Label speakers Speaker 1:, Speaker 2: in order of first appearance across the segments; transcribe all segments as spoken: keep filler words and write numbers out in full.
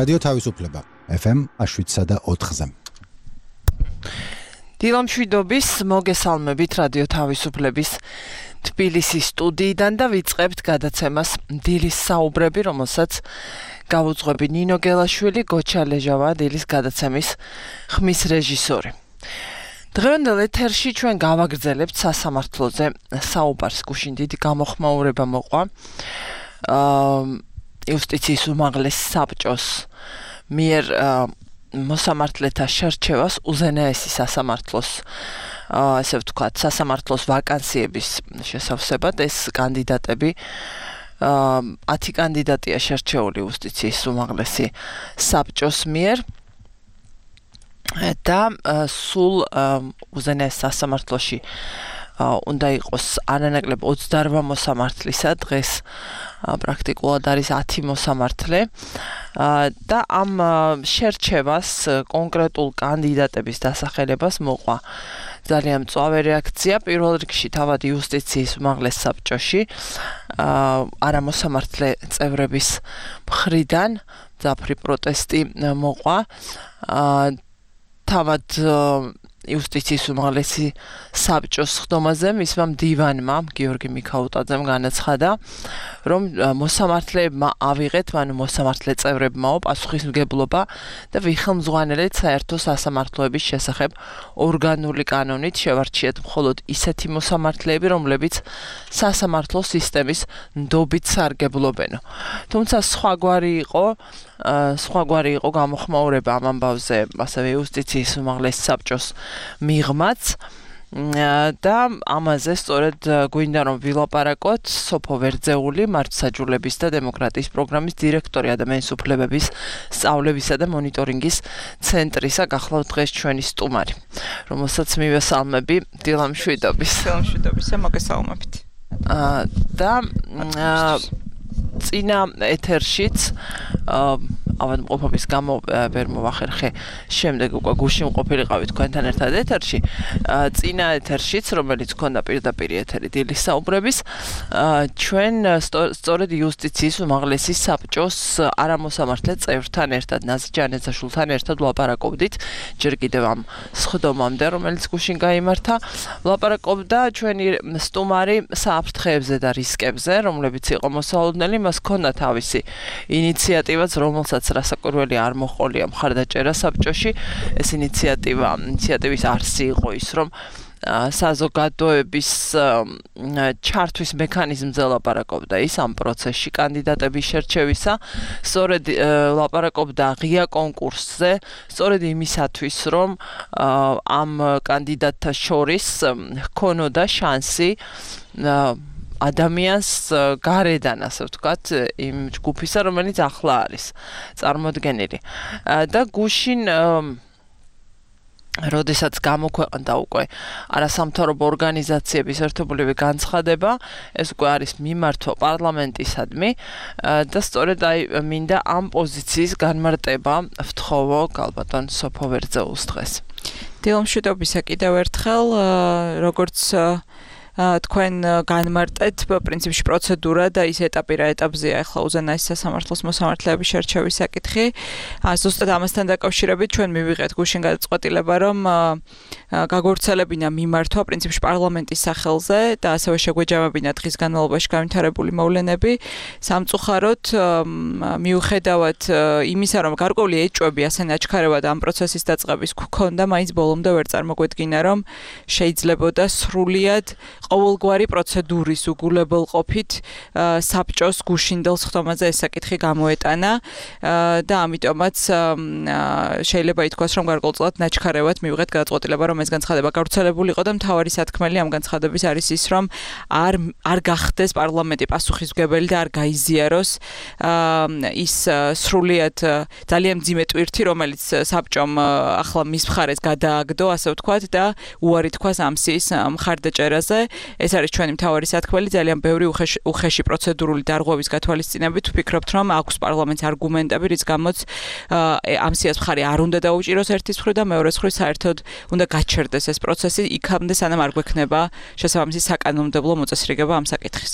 Speaker 1: რადიო თავისუფლება ეფ ემ შვიდსა და ოთხზე.
Speaker 2: დილამშვიდობის მოგესალმებით რადიო თავისუფლების თბილისის სტუდიიდან და ვიწყებთ გადაცემას დილის საუბრები, რომელსაც გავუძღვები ნინო გელაშვილი, გოჩა ლეჟავა, დილის გადაცემის ხმის რეჟისორი. დღევანდელ ეთერში ჩვენ გავაგრძელებთ სასამართლოზე საუბარს. გუშინ დიდი გამოხმაურება მოყვა იუსტიციის უმაღლეს საბჭოს მიერ მოსამართლეთა შერჩევას უზენაესი სასამართლოს ასე ვთქვათ, სასამართლოს ვაკანსიების შესავსებად ეს კანდიდატები ათი კანდიდატია შერჩეული იუსტიციის უმაღლესი საბჭოს მიერ და სულ უზენაეს სასამართლოში უნდა იყოს არანაკლებ ოცდაორ მოსამართლისა, დღეს პრაქტიკულად არის ათი მოსამართლე და ამ შერჩევას კონკრეტულ კანდიდატების დასახელებას მოყვა ძალიან მწვავე რეაქცია. პირველ რიგში თავად იუსტიციის უმაღლეს საბჭოში არამოსამართლე წევრების მხრიდან მძაფრი პროტესტი მოყვა. თავად იუსტიციის უმაღლესი საბჭოს ხდომაზე მისმა მდივანმა გიორგი მიქაუტაძემ განაცხადა, რომ მოსამართლეებმა ავიღეთ, ანუ მოსამართლე წევრებმაო პასუხისმგებლობა და ვიხელმძღვანელეთ საერთო სასამართლოების შესახებ ორგანული კანონით შევარჩიეთ მხოლოდ ისეთი მოსამართლეები, რომლებიც სასამართლო სისტემის ნდობით სარგებლობენო. თუმცა სხვაგვარი იყო სხვაგვარი იყო გამოხმაურება ამ ამბავზე, ასევე იუსტიციის უმაღლეს საბჭოს მიღმაც და ამაზე სწორედ გვინდა რომ ვილაპარაკოთ სოფო ვერძეული, მართლმსაჯულების და დემოკრატიის პროგრამის დირექტორი ადამიანის უფლებების სწავლებისა და მონიტორინგის ცენტრისა გახლავთ დღეს ჩვენი სტუმარი, რომელსაც მივესალმები დილამშვიდობის.
Speaker 3: დილამშვიდობისა, მოგესალმებით.
Speaker 2: და წინა ეთერშიც ავადმყოფობის გამო ვერ მოვახერხე, შემდეგ უკვე გუშინ ყოფილიყავი თქვენთან ერთად ეთერში. წინა ეთერშიც, რომელიც ჰქონდა პირდაპირ ეთერი დილის საუბრების, ჩვენ სწორედ იუსტიციის უმაღლესი საბჭოს არამოსამართლე წევრთან ერთად, ნაზი ჯანეძაშვილთან ერთად ვლაპარაკობდით, ჯერ კიდევ ამ სხდომამდე, რომელიც გუშინ გაიმართა, ვლაპარაკობდა ჩვენი სტუმარი საფრთხეებზე და რისკებზე, რომლებიც იყო მოსალოდნელი, მას ჰქონდა თავისი ინიციატივაც, რომელსაც რასაკვირველი არ მოჰყოლია მხარდაჭერა საბჭოში. ეს ინიციატივა, ინიციატივის არსი იყო ის, რომ საზოგადოების ჩართვის მექანიზმზე ლაპარაკობდა ის ამ პროცესში კანდიდატების შერჩევისა, სწორედ ლაპარაკობდა ღია კონკურსზე, სწორედ იმისათვის, რომ ამ კანდიდატთა შორის ჰქონოდა შანსი ადამიანს გარედან, ასე ვთქვათ, იმ ჯგუფისა, რომელიც ახლა არის წარმოდგენილი. და გუშინ როდესაც გამოქვეყნდა უკვე არასამთავრობო ორგანიზაციების ერთობლივი განცხადება, ეს უკვე არის მიმართვა პარლამენტისადმი და სწორედ აი მინდა ამ პოზიციის განმარტება ვთხოვო გალბატონ სოფო ვერძეულს დღეს.
Speaker 3: დილამშვიდობისა კიდევ ერთხელ, როგორც თქვენ განმარტეთ, პრინციპში პროცედურა და ის ეტაპი რა ეტაპზეა ახლა უზენაეს სასამართლოს მოსამართლეების შერჩევის საკითხი. ზუსტად ამასთან დაკავშირებით ჩვენ მივიღეთ გუშინ გადაწყვეტილება, რომ გაგვავრცელებინა მიმართვა პრინციპში პარლამენტის სახელზე და ასევე შეგვეჯამებინა დღის განმავლობაში განვითარებული მოვლენები. სამწუხაროდ მიუხედავად იმისა, რომ გარკვეული ეჭვები ასე ნაჩქარევად ამ პროცესის დაწყების გქონდა, მაინც ბოლომდე ვერ წარმოგვედგინა, რომ შეიძლებოდა სრულიად ყოველგვარი პროცედურის უგულებელყოფით საბჭოს გუშინდელ სხდომაზე ეს საკითხი გამოეტანა და ამიტომაც შეიძლება ითქვას, რომ გარკვეულწილად ნაჩქარევად მივიღეთ გადაწყვეტილება, რომ ეს განცხადება გავრცელებული იყო და მთავარი სათქმელი ამ განცხადების არის ის, რომ არ არ გახდეს პარლამენტი პასუხისმგებელი და არ გაიზიაროს ის სრულიად ძალიან მძიმე ტვირთი, რომელიც საბჭომ ახლა მის მხარეს გადააგდო, ასე ვთქვათ, და უარი თქვას ამსის მხარდაჭერაზე. ეს არის ჩვენი მთავარი სათქმელი, ძალიან ბევრი უხეში პროცედურული დარღვევის გათვალისწინებით ვფიქრობთ, რომ აქვს პარლამენტს არგუმენტები, რის გამოც ამსიას მხარი არ უნდა დაუჭიროს ერთის მხრივ და მეორეს მხრივ საერთოდ უნდა გაჩერდეს ეს პროცესი იქამდე, სანამ არ გვექნება შესაბამისი საკანონმდებლო მოწესრიგება ამ საკითხის.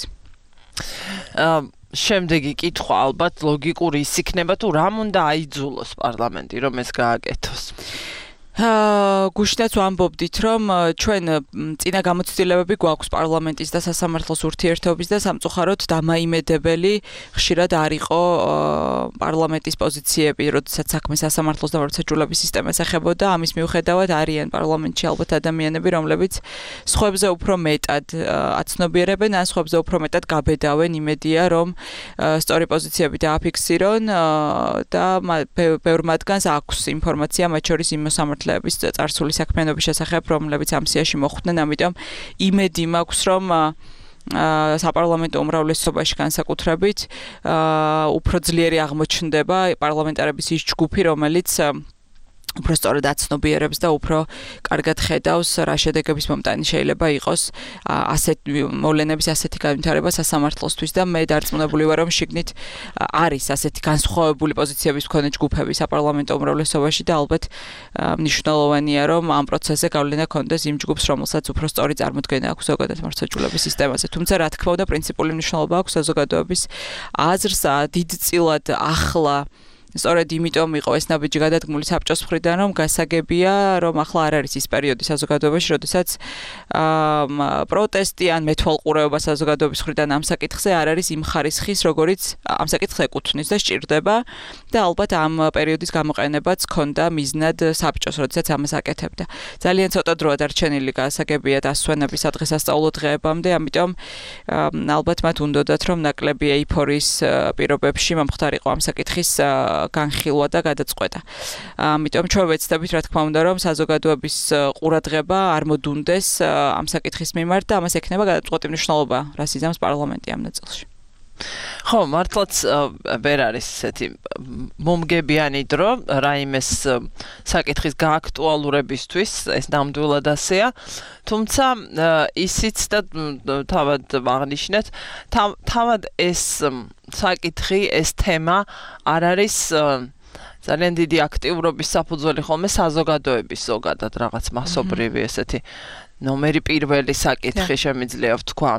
Speaker 2: შემდეგი კითხვა ალბათ ლოგიკური ის იქნება თუ რამ უნდა აიძულოს პარლამენტი რომ ეს გააკეთოს.
Speaker 3: აა გუშინაც ვამბობდით რომ ჩვენ წინა გამოცდილებები გვაქვს პარლამენტის და სასამართლოს ურთიერთობის და სამწუხაროდ დამაიმედებელი ხშირად არ იყო პარლამენტის პოზიციები, როდესაც საქმე სასამართლოს და მართლმსაჯულების სისტემას ეხებოდა, ამის მიუხედავად არიან პარლამენტში ალბათ ადამიანები, რომლებიც სხვებზე უფრო მეტად აცნობიერებენ, ან სხვებზე უფრო მეტად გაბედავენ, იმედია რომ სწორი პოზიციები დააფიქსირონ და ბევრ მათგანს აქვს ინფორმაცია, მათ შორის იმ მოსამართლეების წარსული საქმიანობის შესახებ, რომლებიც ამ სიაში მოხვდნენ, ამიტომ იმედი მაქვს, რომ საპარლამენტო უმრავლესობაში განსაკუთრებით უფრო ძლიერი აღმოჩნდება პარლამენტარების ის ჯგუფი, რომელიც უფრო სწორად აცნობიერებს და უფრო კარგად ხედავს რა შედეგების მომტანი შეიძლება იყოს ასეთ მოვლენების ასეთი განვითარება სასამართლოსთვის და მე დარწმუნებული ვარ რომ შიგნით არის ასეთი განსხვავებული პოზიციების მქონე ჯგუფები საპარლამენტო უმრავლესობაში და ალბათ მნიშვნელოვანია რომ ამ პროცესზე გავლენა ქონდეს იმ ჯგუფს რომელსაც უფრო სწორი წარმოდგენა აქვს ზოგადად მართლმსაჯულების სისტემაზე თუმცა რა თქმა უნდა პრინციპული მნიშვნელობა აქვს საზოგადოების აზრს დიდწილად ახლა სწორედ იმიტომ იყო ეს ნაბიჯი გადადგმული საბჭოს მხრიდან, რომ გასაგებია, რომ ახლა არ არის ის პერიოდი საზოგადოებაში, როდესაც პროტესტი ან მეთვალყურეობა საზოგადოების მხრიდან ამ საკითხზე არ არის იმ ხარისხის, როგორიც ამ საკითხს ეკუთვნის და სჭირდება და ალბათ ამ პერიოდის გამოყენებაც ჰქონდა მიზნად საბჭოს, როდესაც ამას აკეთებდა. ძალიან ცოტა დროა დარჩენილი გასაგებია დასვენების სადღესასწაულო დღეებამდე, ამიტომ ალბათ მათ უნდოდათ, რომ ნაკლები ეიფორიის პირობებში მომხდარიყო ამ საკითხის განხილვა და გადაწყვეტა. ამიტომ ჩვენ ვეცდებით, რა თქმა უნდა, რომ საზოგადოების ყურადღება არ მოდუნდეს ამ საკითხის მიმართ და ამას ექნება გადაწყვეტი მნიშვნელობა, რას იზამს პარლამენტი ამ ნაწილში.
Speaker 2: ხო, მართლაც ვერ არის ესეთი მომგებიანი დრო რაიმეს საკითხის გააქტუალურებისთვის, ეს ნამდვილად ასეა. თუმცა ისიც და თავად აღნიშნეთ, თავად ეს საკითხი, ეს თემა არ არის ძალიან დიდი აქტიურობის საფუძველი ხოლმე საზოგადოების ზოგადად რაღაც მასობრივი ესეთი ნომერი პირველი საკითხი შემიძლია ვთქვა.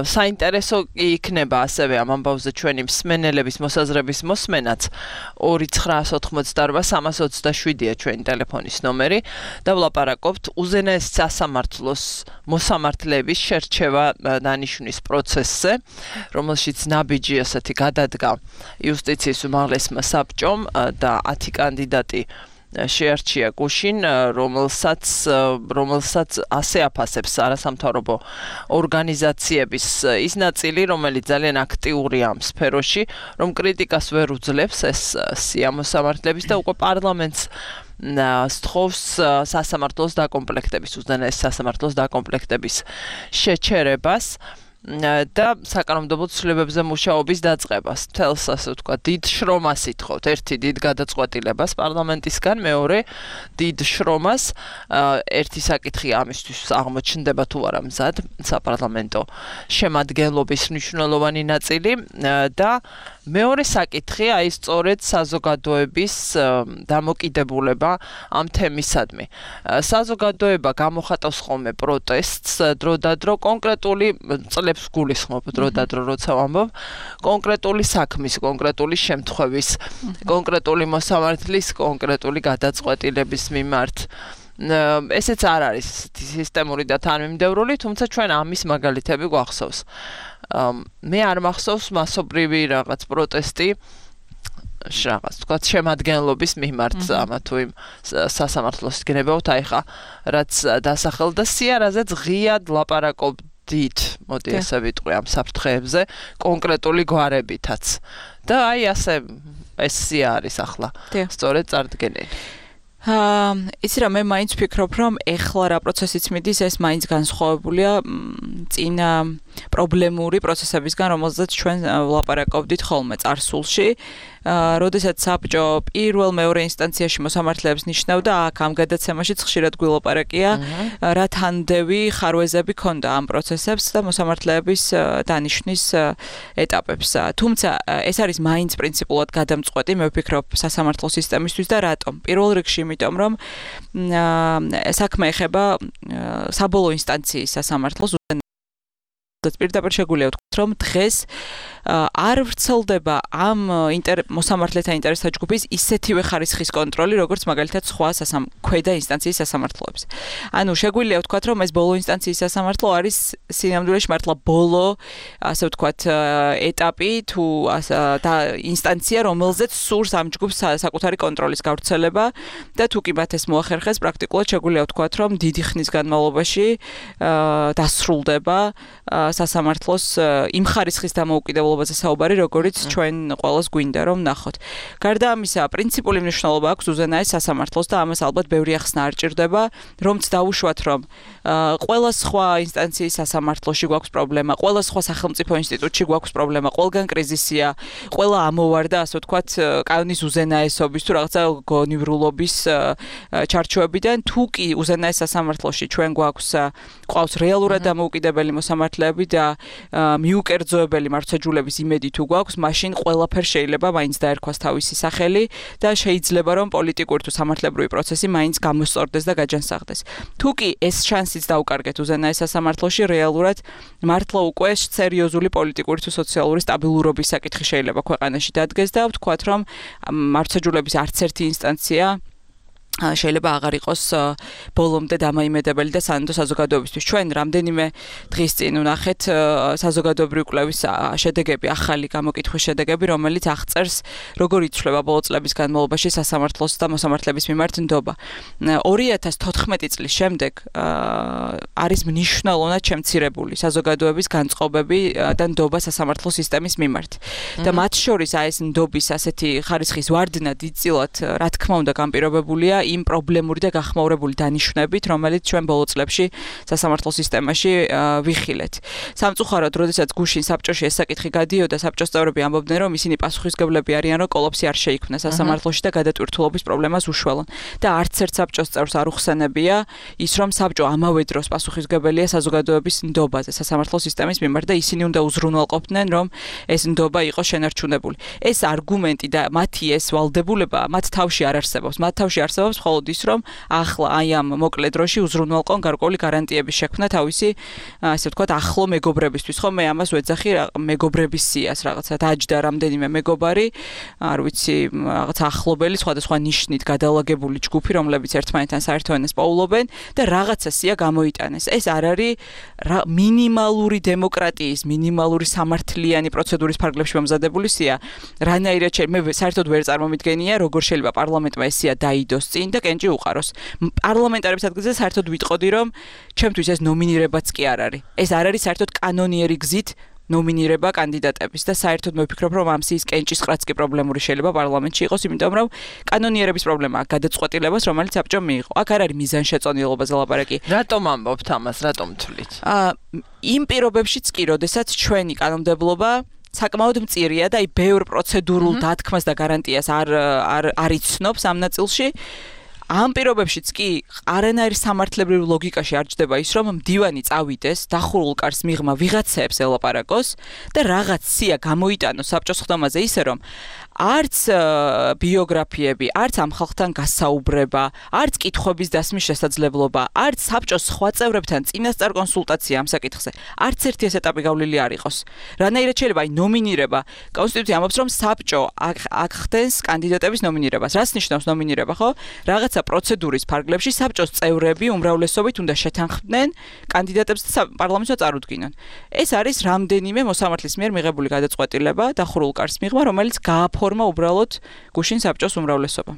Speaker 2: საინტერესო იქნება ასევე ამ ამბავზე ჩვენი მსმენელების მოსაზრების მოსმენაც ორი ცხრაას ოთხმოცდაორბა სამას ოცდაშვიდია ჩვენი ტელეფონის ნომერი და ვლაპარაკობთ უზენაეს სასამართლოს მოსამართლეების შერჩევა დანიშვნის პროცესზე, რომელშიც ნაბიჯი ასეთი გადადგა იუსტიციის უმაღლესმა საბჭომ და ათი კანდიდატი შეარჩია გუშინ, რომელსაც რომელსაც ასე აფასებს არასამთავრობო ორგანიზაციების ის ნაწილი, რომელიც ძალიან აქტიურია ამ სფეროში, რომ კრიტიკას ვერ უძლებს ეს სია მოსამართლეების და უკვე პარლამენტს სთხოვს სასამართლოს დაკომპლექტების, უზენაეს სასამართლოს დაკომპლექტების შეჩერებას და საკანონმდებლო ცვლილებებზე მუშაობის დაწყებას. თელს ასე ვთქვა, დიდ შრომას ითხოვთ. ერთი დიდ გადაწყვეტილებას პარლამენტისგან, მეორე დიდ შრომას. ერთი საკითხი ამისთვის აღმოჩნდება თუ არა მზად საპარლამენტო შემადგენლობის მნიშვნელოვანი ნაწილი და მეორე საკითხი აი სწორედ საზოგადოების დამოკიდებულება ამ თემისადმი. საზოგადოება გამოხატავს ხოლმე პროტესტს დროდადრო კონკრეტული წლებს გულისხმობ დროდადრო როცა ვამბობ კონკრეტული საქმის, კონკრეტული შემთხვევის, კონკრეტული მოსამართლის, კონკრეტული გადაწყვეტილების მიმართ. ესეც არ არის სისტემური და თანმიმდევრული, თუმცა ჩვენ ამის მაგალითები გვახსოვს. მე არ მახსოვს მასობრივი რაღაც პროტესტი რაღაც თქვა შემადგენლობის მიმართ ამა თუ იმ სასამართლოს გნებავთ, აი ხა რაც დასახელდა სიარაზე ღიად ლაპარაკობდით, მოდი ესე ვიტყვი ამ საფრთხეებზე, კონკრეტული გვარებითაც. და აი ასე ეს სია არის ახლა. სწორედ წარდგენილი.
Speaker 3: აა იცი რა მე მაინც ვფიქრობ რომ ეხლა რა პროცესიც მიდის ეს მაინც განსხვავებულია წინა პრობლემური პროცესებისგან რომელზეც ჩვენ ვლაპარაკობდით ხოლმე წარსულში როდესაც საბჭო პირველ მეორე ინსტანციაში მოსამართლეებს ნიშნავდა აქ ამ გადაცემაშიც ხშირად გვილაპარაკია რა თანდევი ხარვეზები ქონდა ამ პროცესებს და მოსამართლეების დანიშვნის ეტაპებს თუმცა ეს არის მაინც პრინციპულად გადამწყვეტი მე ვფიქრობ სასამართლო სისტემისთვის და რატომ პირველ რიგში იმიტომ რომ საქმე ეხება საბოლოო ინსტანციის სასამართლოს პირდაპირ შეგვიძლია ვთქვათ, რომ დღეს არ ვრცელდება ამ მოსამართლეთა ინტერესთა ჯგუფის ისეთივე ხარისხის კონტროლი, როგორც მაგალითად სხვა ქვედა ინსტანციის სასამართლოების. ანუ შეგვიძლია ვთქვათ, რომ ეს ბოლო ინსტანციის სასამართლო არის სინამდვილეში მართლა ბოლო, ასე ვთქვათ, ეტაპი თუ და ინსტანცია, რომელზეც სურს ამ ჯგუფს საკუთარი კონტროლის გავრცელება და თუ კი მათ ეს მოახერხეს, პრაქტიკულად შეგვიძლია ვთქვათ, რომ დიდი ხნის განმავლობაში დასრულდება სასამართლოს იმ ხარისხის დამოუკიდებლობაზე საუბარი, როგორც ჩვენ ყველას გვინდა რომ ნახოთ. გარდა ამისა, პრინციპული მნიშვნელობა აქვს უზენაეს სასამართლოს და ამას ალბათ ბევრი ახსნა არ ჭირდება, რომც დაუშვათ, რომ ყველა სხვა ინსტანციის სასამართლოში გვაქვს პრობლემა, ყველა სხვა სახელმწიფო ინსტიტუტში გვაქვს პრობლემა, ყველგან კრიზისია, ყველა ამოვარდა, ასე ვთქვათ, კანონის უზენაესობის თუ რაღაცა გონივრულობის ჩარჩოებიდან, თუ კი უზენაეს სასამართლოში ჩვენ გვაქვს ყავს რეალურად დამოუკიდებელი მოსამართლეები და მიუკერძოებელი მართლმსაჯულების იმედი თუ გვაქვს, მაშინ ყველაფერ შეიძლება მაინც დაერქვას თავისი სახელი და შეიძლება რომ პოლიტიკური თუ სამართლებრივი პროცესი მაინც გამოსწორდეს და გაჯანსაღდეს. თუ კი ეს შანსიც დაუკარგეთ უზენაეს სასამართლოში, რეალურად მართლა უკვე სერიოზული პოლიტიკური თუ სოციალური სტაბილურობის საკითხი შეიძლება ქვეყანაში დადგეს და ვთქვათ, რომ მართლმსაჯულების არც ერთი ინსტანცია შეიძლება აღარ იყოს ბოლომდე დამაიმედებელი და სანდო საზოგადოებისთვის. ჩვენ რამდენიმე დღის წინ ვნახეთ საზოგადოებრივი კვლევის შედეგები, ახალი გამოკითხვის შედეგები, რომელიც აღწერს, როგორ იცვლება ბოლო წლების განმავლობაში სასამართლოს და მოსამართლეების მიმართ ნდობა. ორი ათას თოთხმეტი წლის შემდეგ არის მნიშვნელოვნად შემცირებული საზოგადოების განწყობები და ნდობა სასამართლო სისტემის მიმართ. და მათ შორის აი ეს ნდობის ასეთი ხარისხის ვარდნა დიდწილად, რა თქმა უნდა, განპირობებულია იმ პრობლემური და გახმაურებული დანიშვნებით, რომელიც ჩვენ ბოლო წლებში სასამართლო სისტემაში ვიხილეთ. სამწუხაროდ, როდესაც გუშინ საბჭოში ეს საკითხი გადიოდა, საბჭოს წევრები ამბობდნენ, რომ ისინი პასუხისმგებლები არიან, რომ კოლაფსი არ შეიქმნა სასამართლოში და გადატვირთულობის პრობლემას უშველონ. და არც ერთ საბჭოს წევრს არ უხსენებია ის, რომ საბჭო ამავე დროს პასუხისმგებელია საზოგადოების ნდობაზე სასამართლო სისტემის მიმართ და ისინი უნდა უზრუნველყოფდნენ, რომ ეს ნდობა იყო შენარჩუნებული. ეს არგუმენტი და მათი ეს ვალდებულება მათ თავში არ არსებობს. მათ თავში არსებობს მხოლოდ ის, რომ ახლა აი ამ მოკლე დროში უზრუნველყონ გარკვეული გარანტიების შექმნა თავისი, ასე ვთქვათ, ახლო მეგობრებისთვის. ხო, მე ამას ვეძახი მეგობრების სიას, რაღაცა დაჯდა რამდენიმე მეგობარი, არ ვიცი, რაღაცა ახლობელი, სხვადასხვა ნიშნით გადალაგებული ჯგუფი, რომლებიც ერთმანეთთან საერთო ენას პოულობენ და რაღაცა სია გამოიტანეს. ეს არ არის მინიმალური დემოკრატიის, მინიმალური სამართლიანი პროცედურის ფარგლებში მომზადებული სია. რანაირად მე საერთოდ ვერ წარმომიდგენია, როგორ შეიძლება პარლამენტმა ეს სია დაიდოს წინ და კენჭი უყაროს. პარლამენტარების ადგილზე საერთოდ ვიტყოდი, რომ ჩემთვის ეს ნომინირებაც კი არ არის. ეს არ არის საერთოდ კანონიერი გზით ნომინირება კანდიდატების და საერთოდ მე ვფიქრობ, რომ ამ სიის კენჭის ყრაც კი პრობლემური შეიძლება პარლამენტში იყოს, იმიტომ რომ კანონიერების პრობლემა აქვს გადაწყვეტილებას, რომელიც საბჭომ მიიღო. აქ არ არის მიზანშეწონილობაზე ლაპარაკი.
Speaker 2: რატომ ამბობთ ამას, რატომ თვლით?
Speaker 3: აა იმ პირობებშიც კი, როდესაც ჩვენი კანონმდებლობა საკმაოდ მწირია და აი ბევრ პროცედურულ დათქმას და გარანტიას არ არ არ იცნობს ამ ნაწილში. ამ პირობებშიც კი არანაირ სამართლებრივ ლოგიკაში არ ჯდება ის, რომ მდივანი წავიდეს, დახურულ კარს მიღმა ვიღაცებს ელაპარაკოს და რაღაც სია გამოიტანოს საბჭოს ხდომაზე ისე, რომ არც ბიოგრაფიები, არც ამ ხალხთან გასაუბრება, არც კითხვების დასმის შესაძლებლობა, არც საბჭოს სხვა წევრებთან წინასწარ კონსულტაცია ამ საკითხზე, არც ერთი ეს ეტაპი გავლილი არ იყოს. რანაირად შეიძლება აი ნომინირება, კონსტიტუცია ამბობს, რომ საბჭო აქ ხდენს კანდიდატების ნომინირებას. რას ნიშნავს ნომინირება, ხო? რაღაცა პროცედურის ფარგლებში საბჭოს წევრები უმრავლესობით უნდა შეთანხმდნენ კანდიდატებს და პარლამენტს წარუდგინონ. ეს არის რამდენიმე მოსამართლის მიერ მიღებული გადაწყვეტილება დახურულ კარს მიღმა, რომელიც გააფორმა უბრალოდ გუშინ საბჭოს უმრავლესობა.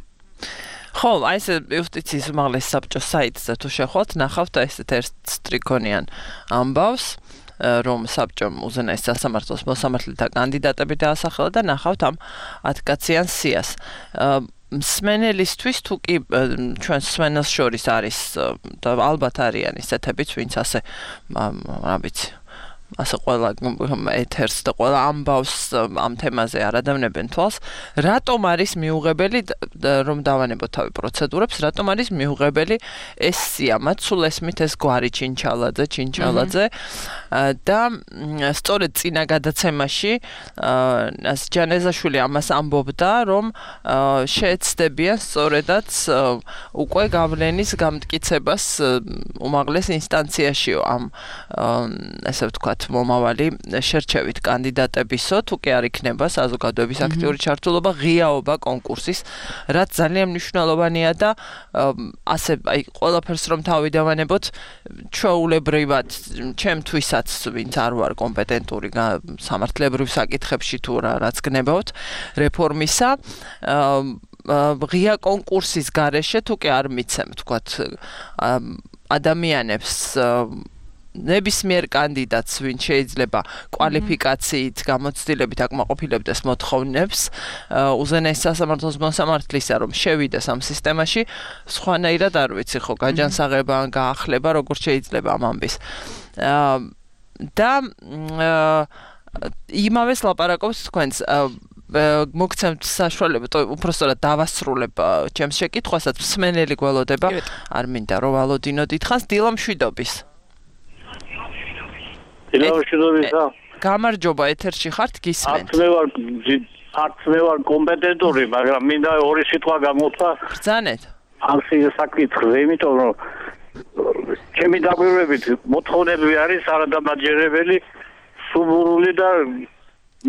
Speaker 2: ხო, აი ეს იუსტიციის უმაღლეს საბჭოს საიტზე თუ შეხვალთ, ნახავთ ესეთ ერთ სტრიქონიან ამბავს, რომ საბჭომ უზენაეს სასამართლოს მოსამართლეთა კანდიდატები დაასახელა და ნახავთ ამ ათკაციან სიას. მსმენელისთვის თუ კი ჩვენ მსმენელს შორის არის და ალბათ არიან ისეთებიც, ვინც ასე რა ვიცი ასე ყველა ეთერს და ყველა ამბავს ამ თემაზე არ ადავნებენ თვალს, რატომ არის მიუღებელი რომ დავანებოთ თავი პროცედურებს, რატომ არის მიუღებელი ეს სია, მათ სულ ესმით ეს გვარი ჩინჩალაძე, ჩინჩალაძე და სწორედ წინა გადაცემაში ჯანეზაშვილი ამას ამბობდა, რომ შეეცდებიან სწორედაც უკვე გავლენის გამტკიცებას უმაღლეს ინსტანციაშიო ამ ასე ვთქვათ მომავალი შერჩევით კანდიდატებისო, თუ კი არ იქნება საზოგადოების აქტიური ჩართულობა, ღიაობა კონკურსის, რაც ძალიან მნიშვნელოვანია და ასე აი ყველაფერს რომ თავიდავანებოთ, ჩვეულებრივად ჩემთვისაც ვინც არ ვარ კომპეტენტური სამართლებრივ საკითხებში თუ რაც გნებავთ რეფორმისა, ღია კონკურსის გარეშე თუ კი არ მიცემ, თქვათ, ადამიანებს ნებისმიერ კანდიდატს, ვინც შეიძლება კვალიფიკაციით, გამოცდილებით აკმაყოფილებდეს მოთხოვნებს, უზენაეს სასამართლოს მოსამართლისა, რომ შევიდეს ამ სისტემაში, სხვანაირად არ ვიცი, ხო, გაჯანსაღება, გაახლება, როგორ შეიძლება ამ ამბის. და იმავეს ლაპარაკობს თქვენს მოგცემთ საშუალება, უпростоრად დავასრულებ ჩემს შეკითხვასაც, მსმენელი გველოდება, არ მინდა რომ ვალოდინო დიდხანს, დილა მშვიდობის.
Speaker 4: დილა მშვიდობისა.
Speaker 2: გამარჯობა, ეთერში ხართ, გისმენთ.
Speaker 4: არც მე ვარ, არც მე ვარ კომპეტენტური, მაგრამ მინდა ორი სიტყვა გამოვთქვა.
Speaker 2: ბრძანეთ.
Speaker 4: ამ საკითხზე, იმიტომ რომ ჩემი დაკვირვებით მოთხოვნები არის არადამაჯერებელი, სუბურული და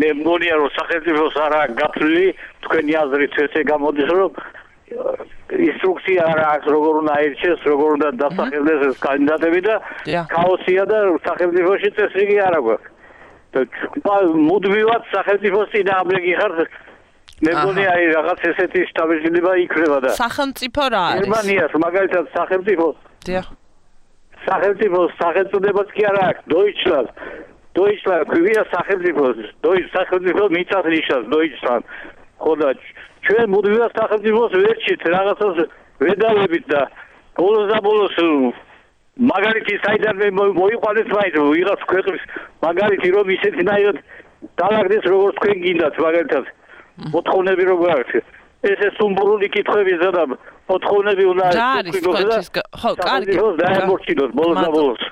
Speaker 4: მე მგონია რომ სახელმწიფოს არა გაფრთხილი, თქვენი აზრით ესე გამოდის, რომ ინსტრუქცია არა აქვს, როგორ უნდა აირჩიეს, როგორ უნდა დასახელდეს ეს კანდიდატები და ქაოსია და სახელმწიფოში წესრიგი არ აქვს. და მუდმივად სახელმწიფოს წინააღმდეგ ხართ. მე მგონია აი რაღაც ესეთი შტაბეშილება იქნება და
Speaker 2: სახელმწიფო რა არის?
Speaker 4: გერმანიას მაგალითად სახელმწიფო
Speaker 2: დიახ.
Speaker 4: სახელმწიფოს სახელმწიფოც კი არა აქვს, Deutschland. Deutschland ქვია სახელმწიფოს, Deutsch სახელმწიფო მიწას ნიშნავს Deutschland. ხოდა ჩვენ მუდმივად სახელმწიფოს ვერჩით რაღაცას ვედავებით და ბოლოს და ბოლოს მაგალითი საიდან მოიყვანეთ მაინც ვიღაც ქვეყნის მაგალითი რომ ისეთნაირად დაალაგდეს როგორც თქვენ გინდათ მაგალითად მოთხოვნები როგორ აქვს ესე სუმბურული კითხვები ზადა მოთხოვნები უნდა
Speaker 2: იყოს ხო კარგი
Speaker 4: დაემორჩილოს ბოლოს და ბოლოს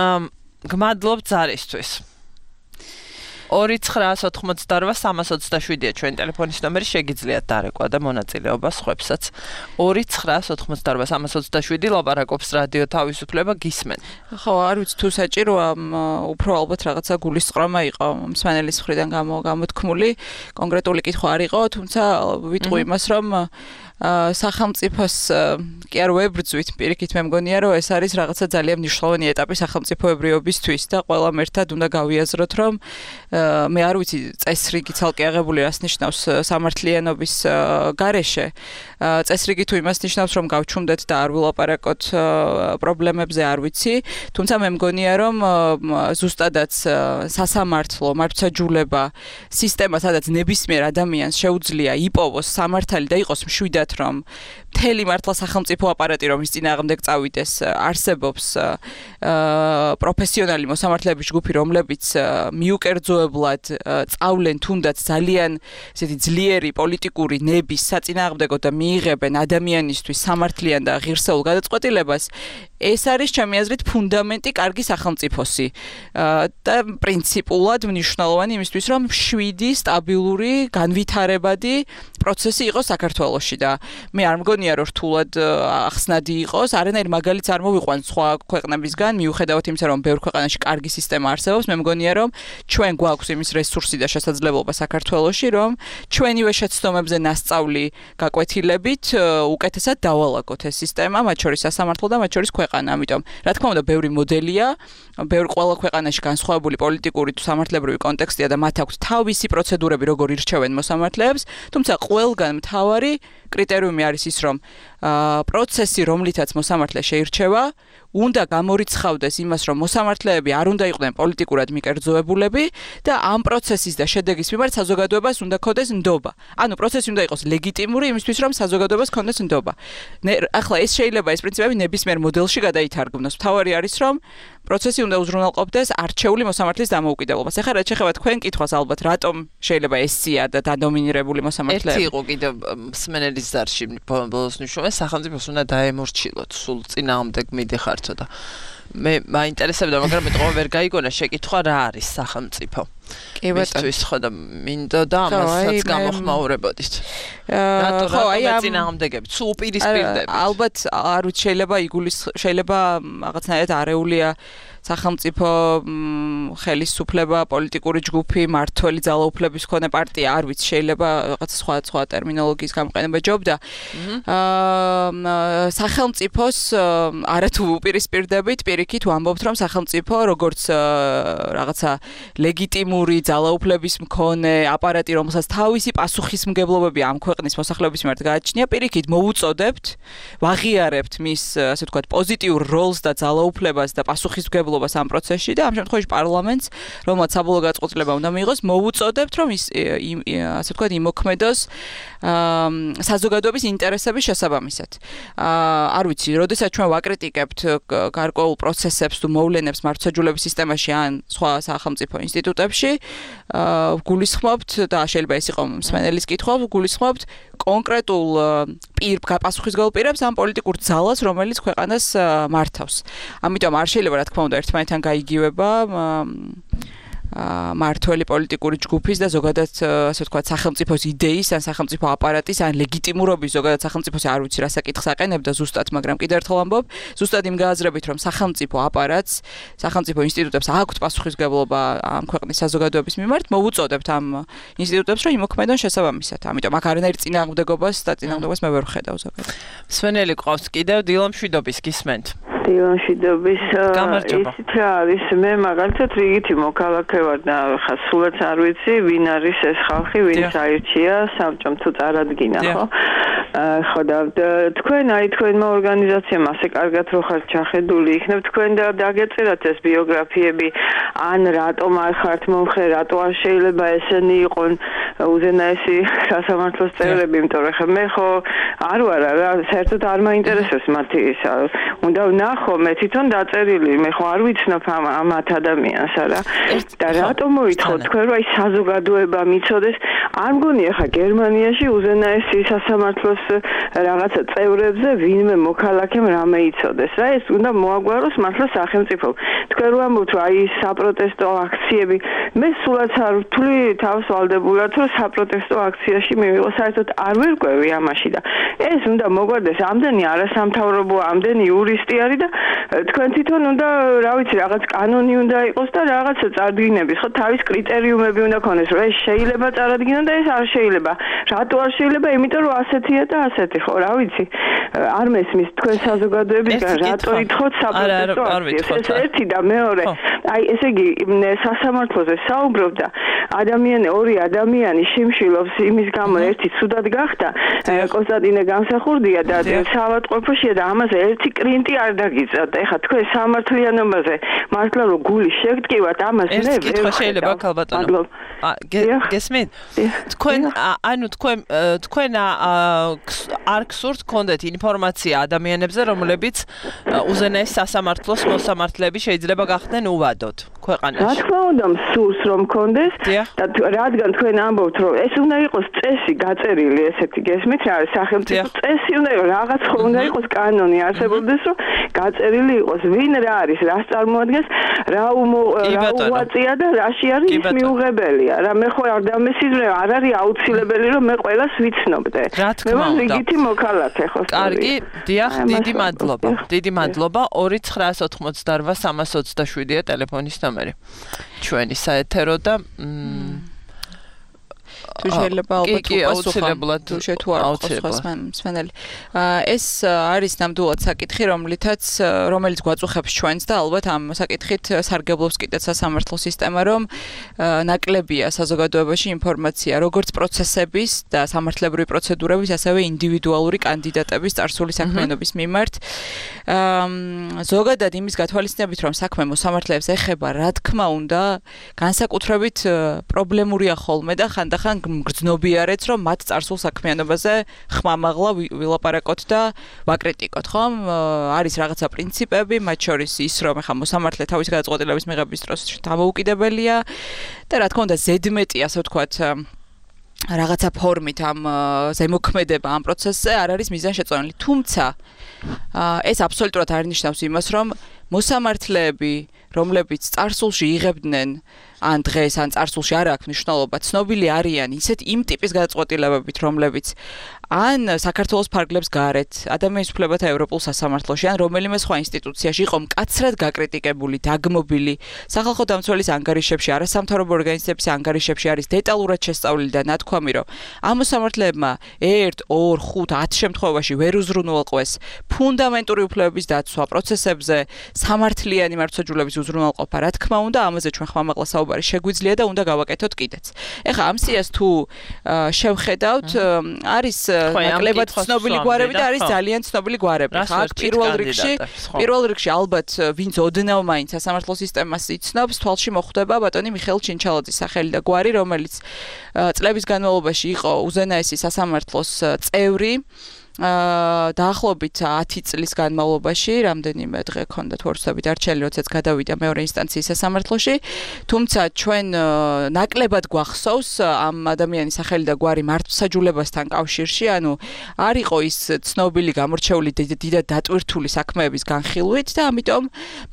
Speaker 2: ამ გმადლობ ზარისთვის ორი ცხრაას ოთხმოცდაორვა სამას ოცდაშვიდია ჩვენი ტელეფონის ნომერი შეგიძლიათ დარეკვა და მონაწილეობა სხვებსაც ორი ცხრაას ოთხმოცდაორვა სამას ოცდაშვიდი ლაპარაკობს რადიო თავისუფლება გისმენ
Speaker 3: ხო არ ვიცი თუ საჭიროა უფრო ალბათ რაღაცა გულისწყრომა იყო მსმენელის მხრიდან გამოთქმული კონკრეტული კითხვა არ იყო თუმცა ვიტყვი იმას რომ სახელმწიფოს კი არ ვებრძვით პირიქით მე მგონია რომ ეს არის რაღაცა ძალიან მნიშვნელოვანი ეტაპი სახელმწიფოებრიობისთვის და ყველამ ერთად უნდა გავიაზროთ რომ მე არ ვიცი წესრიგი ცალკე აღებული რას ნიშნავს სამართლიანობის გარეშე წესრიგი თუ იმას ნიშნავს რომ გავჩუმდეთ და არ ვილაპარაკოთ პრობლემებზე არ ვიცი თუმცა მე მგონია რომ ზუსტადაც სასამართლო მართლმსაჯულება სისტემა სადაც ნებისმიერ ადამიანს შეუძლია იპოვოს სამართალი და იყოს მშვიდად რომ მთელი მართლა სახელმწიფო აპარატი რომ ის წინააღმდეგ წავიდეს არსებობს პროფესიონალი მოსამართლეების ჯგუფი რომლებიც მიუკერძოებლად წავლენ თუნდაც ძალიან ესეთი ძლიერი პოლიტიკური ნების საწინააღმდეგო და მიიღებენ ადამიანისთვის სამართლიან და ღირსეულ გადაწყვეტილებას ეს არის ჩემი აზრით ფუნდამენტი კარგი სახელმწიფოსი და პრინციპულად მნიშვნელოვანი იმისთვის რომ შვიდი სტაბილური განვითარებადი პროცესი იყოს საქართველოში და მე არ მგონია რომ რთულად ახსნადი იყოს არანაირ მაგალითს არ მოვიყვანს სხვა ქვეყნებისგან მიუხედავად იმისა რომ ბევრ ქვეყანაში კარგი სისტემა არსებობს მე მგონია რომ ჩვენ გვაქვს იმის რესურსი და შესაძლებლობა საქართველოში რომ ჩვენივე შეცდომებზე ნასწავლი გაკვეთილებით უკეთესად დავალაგოთ ეს სისტემა მათ შორის სასამართლო და მათ შორის ქვეყანა ამიტომ რა თქმა უნდა ბევრი მოდელია ბევრ ყველა ქვეყანაში განსხვავებული პოლიტიკური თუ სამართლებრივი კონტექსტია და მათ აქვს თავისი პროცედურები როგორ ირჩევენ მოსამართლეებს თუმცა ყველგან მთავარი კრიტერიუმი არის ის რომ პროცესი რომლითაც მოსამართლე შეირჩევა უნდა გამორიცხავდეს იმას რომ მოსამართლეები არ უნდა იყვნენ პოლიტიკურად მიკერძოებულები და ამ პროცესის და შედეგის მიმართ საზოგადოებას უნდა ქონდეს ნდობა. ანუ პროცესი უნდა იყოს ლეგიტიმური იმისთვის რომ საზოგადოებას ქონდეს ნდობა. ახლა ეს შეიძლება ეს პრინციპები ნებისმიერ მოდელში გადაითარგმნოს. მთავარი არის რომ პროცესი უნდა უზრუნველყოფდეს არჩეული მოსამართლის დამოუკიდებლობას. ეხლა რაც შეეხება თქვენ კითხვას ალბათ რატომ შეიძლება ესია და დადომინირებული მოსამართლეები.
Speaker 2: ერთი იყო კიდევ მსმენელის ზარში ბოლოს ნიშნავს სახელმწიფოს უნდა დაემორჩილოთ სულ წინააღმდეგ მიდიხართო და მე მაინტერესებდა მაგრამ მეტყობა ვერ გაიგონა შეკითხვა რა არის სახელმწიფო
Speaker 3: კი ბატონო.
Speaker 2: მისთვის ხო და მინდოდა ამასაც გამოხმაურებოდით. რატო
Speaker 3: ხო, აი ამ
Speaker 2: წინააღმდეგები, თუ უპირისპირდებით.
Speaker 3: ალბათ არ ვიცი, შეიძლება იგულის შეიძლება რაღაცნაირად არეულია სახელმწიფო ხელისუფლება, პოლიტიკური ჯგუფი, მართველი ძალაუფლების მქონე პარტია, არ ვიცი, შეიძლება რაღაც სხვა სხვა ტერმინოლოგიის გამოყენება ჯობდა. აა სახელმწიფოს არათუ უპირისპირდებით, პირიქით ვამბობთ, რომ სახელმწიფო როგორც რაღაცა ლეგიტიმური ძალაუფლების მქონე აპარატი, რომელსაც თავისი პასუხისმგებლობები ამ ქვეყნის მოსახლეობის მიმართ გააჩნია, პირიქით მოვუწოდებთ, ვაღიარებთ მის, ასე ვთქვათ, პოზიტიურ როლს და ძალაუფლებას და პასუხისმგებლობას ამ პროცესში და ამ შემთხვევაში პარლამენტს, რომელსაც საბოლოო გაწყვეტილება უნდა მიიღოს, მოვუწოდებთ, რომ ის ასე ვთქვათ, იმოქმედოს საზოგადოების ინტერესების შესაბამისად. არ ვიცი, როდესაც ჩვენ ვაკრიტიკებთ გარკვეულ პროცესებს თუ მოვლენებს მართლმსაჯულების სისტემაში ან სხვა სახელმწიფო ინსტიტუტებში, გულისხმობთ და შეიძლება ეს იყო მსმენელის კითხვა, გულისხმობთ კონკრეტულ პირ პასუხისმგებელ პირებს ამ პოლიტიკურ ძალას, რომელიც ქვეყანას მართავს. ამიტომ არ შეიძლება რა თქმა უნდა ერთმანეთთან გაიგივება მართველი პოლიტიკური ჯგუფის და ზოგადად ასე ვთქვათ სახელმწიფოს იდეის ან სახელმწიფო აპარატის ან ლეგიტიმურობის ზოგადად სახელმწიფოს არ ვიცი რა საკითხს აყენებდა ზუსტად, მაგრამ კიდევ ერთხელ ამბობ, ზუსტად იმ გააზრებით, რომ სახელმწიფო აპარატს, სახელმწიფო ინსტიტუტებს აქვთ პასუხისმგებლობა ამ ქვეყნის საზოგადოების მიმართ, მოვუწოდებთ ამ ინსტიტუტებს, რომ იმოქმედონ შესაბამისად. ამიტომ აქ არანაირ წინააღმდეგობას და წინააღმდეგობას მე ვერ ვხედავ ზოგადად.
Speaker 2: მსმენელი ყავს კიდევ დილა მშვიდობის გისმენთ.
Speaker 5: დილა მშვიდობის ისიც რა არის მე მაგალითად რიგითი მოქალაქე ვარ და ხა სულაც არ ვიცი ვინ არის ეს ხალხი ვინც აირჩია საბჭომ თუ წარადგინა ხო ხო და თქვენ აი თქვენმა ორგანიზაციამ ასე კარგად რო ხართ ჩახედული იქნებ თქვენ და დაგეწერათ ეს ბიოგრაფიები ან რატომ არ ხართ მომხრე რატო არ შეიძლება ესენი იყონ უზენაესი სასამართლოს წევრები იმიტომ რომ ხა მე ხო არ ვარ რა საერთოდ არ მაინტერესებს მათი ისა უნდა ნახო მე თვითონ დაწერილი მე ხო არ ვიცნობ ამ ამათ ადამიანს არა და რატომ მოითხოვ თქვენ რომ აი საზოგადოება მიცოდეს არ მგონია ხა გერმანიაში უზენაესი სასამართლოს რაღაცა წევრებზე ვინმე მოქალაქემ რამე იცოდეს რა ეს უნდა მოაგვაროს მართლა სახელმწიფომ თქვენ რომ ამბობთ რომ აი საპროტესტო აქციები მე სულაც არ ვთვლი თავს ვალდებულად რომ საპროტესტო აქციაში მივიღო საერთოდ არ ვერ ყვევი ამაში და ეს უნდა მოგვარდეს ამდენი არასამთავრობო ამდენი იურისტი არის და თქვენ თვითონ უნდა რა ვიცი რაღაც კანონი უნდა იყოს და რაღაცა წარდგინების ხო თავის კრიტერიუმები უნდა ქონდეს რომ ეს შეიძლება წარადგინონ და ეს არ შეიძლება რატო არ შეიძლება იმიტომ რომ ასეთია და ასეთი ხო რა ვიცი არ მესმის თქვენ საზოგადოებისგან რატო ითხოვთ საპროტესტო აქციებს ეს ერთი და მეორე აი ესე იგი სასამართლოზე საუბრობ და ადამიანი ორი ადამიანი შიმშილობს იმის გამო ერთი ცუდად გახდა კონსტანტინე გამსახურდია და საავადმყოფოშია და ამაზე ერთი კრინტი არ დაგიწევთ ეხლა თქვენ სამართლიანობაზე მართლა რომ გული შეგტკივათ ამას მე
Speaker 2: ეს კითხვა შეიძლება ქალბატონო გესმით თქვენ ანუ თქვენ თქვენ არ გსურთ გქონდეთ ინფორმაცია ადამიანებზე რომლებიც უზენაეს სასამართლოს მოსამართლეები შეიძლება გახდნენ უვადოდ ქვეყანაში
Speaker 5: რა თქმა უნდა მსურს რომ გქონდეს და რადგან თქვენ ამბობთ რომ ეს უნდა იყოს წესი გაწერილი ესეთი გესმით რა არის სახელმწიფო წესი უნდა იყოს რაღაც ხო უნდა იყოს კანონი არსებობდეს რომ გაწერილი იყოს ვინ რა არის რას წარმოადგენს რა უვაწია და რაში არის ის მიუღებელია რა მე ხო არ დამესიზრე არ არის აუცილებელი რომ მე ყველას ვიცნობდე
Speaker 2: მე ვარ
Speaker 5: რიგითი მოქალაქე ხო
Speaker 2: კარგი დიახ დიდი მადლობა დიდი მადლობა ორი ცხრაას ოთხმოცდაორვა სამას ოცდაშვიდია ტელეფონის ნომერი ჩვენი საეთერო და
Speaker 3: თუ შეიძლება ალბათ
Speaker 2: აუცილებლად
Speaker 3: თუ შე თუ არ ყავს მსმენელი ეს არის ნამდვილად საკითხი რომლითაც რომელიც გვაწუხებს ჩვენს და ალბათ ამ საკითხით სარგებლობს კიდეც სასამართლო სისტემა რომ ნაკლებია საზოგადოებაში ინფორმაცია როგორც პროცესების და სამართლებრივი პროცედურების ასევე ინდივიდუალური კანდიდატების წარსული საქმიანობის მიმართ ზოგადად იმის გათვალისწინებით რომ საქმე მოსამართლეებს ეხება რა თქმა უნდა განსაკუთრებით პრობლემურია ხოლმე და ხანდახან გრძნობიარეც რომ მათ წარსულ საქმიანობაზე ხმამაღლა ვილაპარაკოთ და ვაკრიტიკოთ ხომ არის რაღაცა პრინციპები მათ შორის ის რომ ახლა მოსამართლე თავის გადაწყვეტილების მიღების დროს დამოუკიდებელია და რა თქმა უნდა ზედმეტი ასე ვთქვათ რაღაცა ფორმით ამ ზემოქმედება ამ პროცესზე არ არის მიზანშეწონილი თუმცა ეს აბსოლუტურად არ ნიშნავს იმას რომ მოსამართლეები რომლებიც წარსულში იღებდნენ ან დღეს ან წარსულში არ აქვს მნიშვნელობა, ცნობილი არიან ისეთ იმ ტიპის გადაწყვეტილებებით, რომლებიც ან საქართველოს ფარგლებს გარეთ, ადამიანის უფლებათა ევროპულ სასამართლოში, ან რომელიმე სხვა ინსტიტუციაში იყო მკაცრად გაკრიტიკებული, დაგმობილი, სახალხო დამცველის ანგარიშებში, არასამთავრობო ორგანიზაციების ანგარიშებში არის დეტალურად შესწავლილი და ნათქვამი, რომ ამ მოსამართლეებმა ერთ, ორ, ხუთ, ათ შემთხვევაში ვერ უზრუნველყვეს ფუნდამენტური უფლებების დაცვა პროცესებზე, სამართლიანი მართლმსაჯულების უზრუნველყოფა, რა თქმა უნდა, ამაზე ჩვენ ხმამაღლა საუბარი შეგვიძლია და უნდა გავაკეთოთ კიდეც. ეხლა ამ სიას თუ შევხედავთ, არის ნაკლებად ცნობილი გვარები და არის ძალიან ცნობილი გვარები. ხა პირველ რიგში, პირველ რიგში ალბათ ვინც ოდნავ მაინც სასამართლო სისტემას იცნობს, თვალში მოხვდება ბატონი მიხეილ ჩინჩალაძის სახელი და გვარი, რომელიც წლების განმავლობაში იყო უზენაესი სასამართლოს წევრი. აა დაახლოებით ათი წლის განმავლობაში რამდენიმე დღე ქონდა თუ არ ვცდები დარჩენილი, როდესაც გადავიდა მეორე ინსტანციის სასამართლოში, თუმცა ჩვენ ნაკლებად გვახსოვს ამ ადამიანის სახელი და გვარი მართლმსაჯულებასთან კავშირში, ანუ არ იყო ის ცნობილი გამორჩეული დიდად დატვირთული საქმეების განხილვით და ამიტომ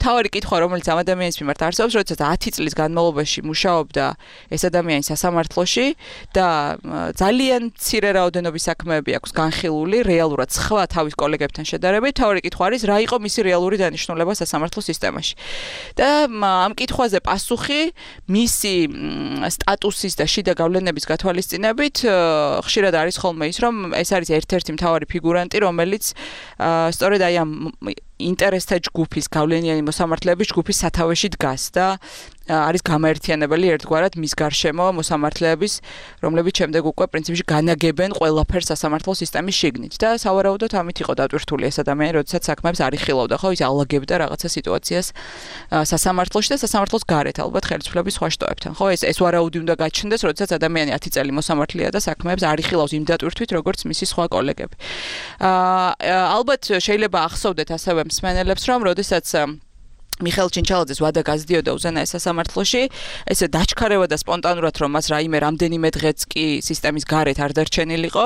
Speaker 3: მთავარი კითხვა, რომელიც ამ ადამიანის მიმართ არსებობს, როდესაც ათი წლის განმავლობაში მუშაობდა ეს ადამიანი სასამართლოში და ძალიან მცირე რაოდენობის საქმეები აქვს განხილული რეალურად სხვა თავის კოლეგებთან შედარებით, თავი კითხვა არის, რა იყო მისი რეალური დანიშნულება სასამართლო სისტემაში. და ამ კითხვაზე პასუხი მისი სტატუსის და შიდა გავლენების გათვალისწინებით ხშირად არის ხოლმე ის, რომ ეს არის ერთ-ერთი მთავარი ფიგურანტი, რომელიც სწორედ აი ამ ინტერესთა ჯგუფის გავლენიანი მოსამართლეების ჯგუფის სათავეში დგას და არის გამაერთიანებელი ერთგვარად მის გარშემო მოსამართლეების, რომლებიც შემდეგ უკვე პრინციპში განაგებენ ყველაფერს სასამართლო სისტემის შიგნით და სავარაუდოდ ამით იყო დატვირთული ეს ადამიანი, როდესაც საქმეებს არ იხილავდა, ხო, ის ალაგებდა რაღაცა სიტუაციას სასამართლოში და სასამართლოს გარეთ, ალბათ ხელისუფლების სხვა შტოებთან. ხო, ეს ეს ვარაუდი უნდა გაჩნდეს, როდესაც ადამიანი ათი წელი მოსამართლეა და საქმეებს არ იხილავს იმ დატვირთვით, როგორც მისი სხვა კოლეგები. აა ალბათ შეიძლება ახსოვდეთ ასევე მსმენელებს, რომ როდესაც მიხეილ ჩინჩალაძეს ვადა გაზდიოდა უზენაეს სასამართლოში, ესე დაჩქარევა და სპონტანურად, რომ მას რაიმე რამდენიმე დღეც კი სისტემის გარეთ არ დარჩენილიყო,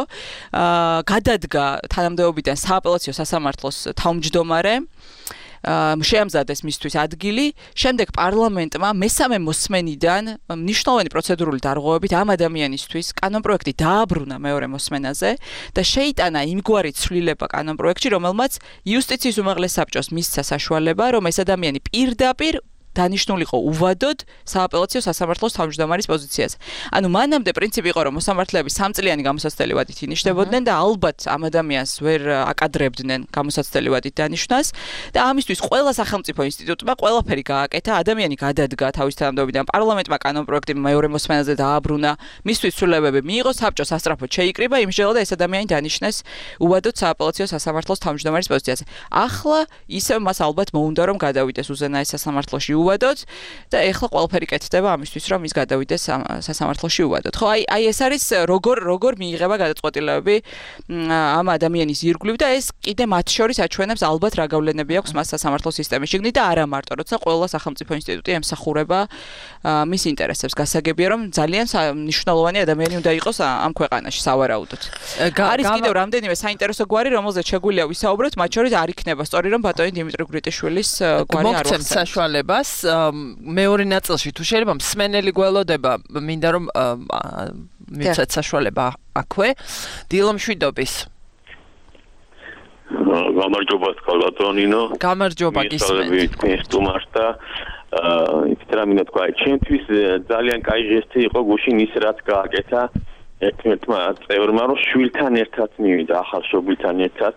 Speaker 3: აა გადადგა თანამდებობიდან სააპელაციო სასამართლოს თავმჯდომარე, შეამზადეს მისთვის ადგილი, შემდეგ პარლამენტმა მესამე მოსმენიდან მნიშვნელოვანი პროცედურული დარღვევებით ამ ადამიანისთვის კანონპროექტი დააბრუნა მეორე მოსმენაზე და შეიტანა იმგვარი ცვლილება კანონპროექტში, რომელმაც იუსტიციის უმაღლეს საბჭოს მისცა საშუალება, რომ ეს ადამიანი პირდაპირ დანიშნულიყო უვადოდ სააპელაციო სასამართლოს თავმჯდომარის პოზიციაზე. ანუ მანამდე პრინციპი იყო, რომ მოსამართლეები სამწლიანი გამოსაცდელი ვადით ინიშნებოდნენ და ალბათ ამ ადამიანს ვერ აკადრებდნენ გამოსაცდელი ვადით დანიშნას და ამისთვის ყველა სახელმწიფო ინსტიტუტმა ყველაფერი გააკეთა, ადამიანი გადადგა თავის თანამდებობიდან, პარლამენტმა კანონპროექტი მეორე მოსმენაზე დააბრუნა, მისთვის ცვლილებები მიიღო, საბჭო სასწრაფოდ შეიკრიბა, იმჟელა და ეს ადამიანი დანიშნეს უვადოდ სააპელაციო სასამართლოს თავმჯდომარის პოზიციაზე. ახლა ისევ მას ალბათ მოუნდა რომ გადავიდეს უზენაეს სასამართლოში უვადოთ და ეხლა ყველაფერი კეთდება ამისთვის, რომ ის გადავიდეს სასამართლოში უვადოთ. ხო, აი აი ეს არის როგორ როგორ მიიღება გადაწყვეტილებები ამ ადამიანის ირგვლივ და ეს კიდე მათ შორის აჩვენებს ალბათ რა გავლენები აქვს მას სასამართლო სისტემის შიგნით და არა მარტო, როცა ყველა სახელმწიფო ინსტიტუტი ემსახურება მის ინტერესებს. გასაგებია, რომ ძალიან მნიშვნელოვანი ადამიანი უნდა იყოს ამ ქვეყანაში სავარაუდოდ. არის კიდევ რამდენიმე საინტერესო გვარი, რომელზეც შეგვიძლია ვისაუბროთ, მათ შორის არ იქნება სწორი, რომ ბატონი დიმიტრი გვრიტიშვილის გვარი არ ვახსენებ. საშუალებას
Speaker 2: მეორე ნაწილში თუ შეიძლება მსმენელი გველოდება, მინდა რომ მიცეთ საშუალება აქვე, დილო მშვიდობის.
Speaker 4: გამარჯობა ბატონინო.
Speaker 2: გამარჯობა გისმენთ.
Speaker 4: სტუმარს და იცით რა მინდა თქვა, ჩემთვის ძალიან კაი ჟესტი იყო გუშინ ის რაც გააკეთა ერთმანეთმა წევრმა, რომ შვილთან ერთად მივიდა, ახალ შვილთან ერთად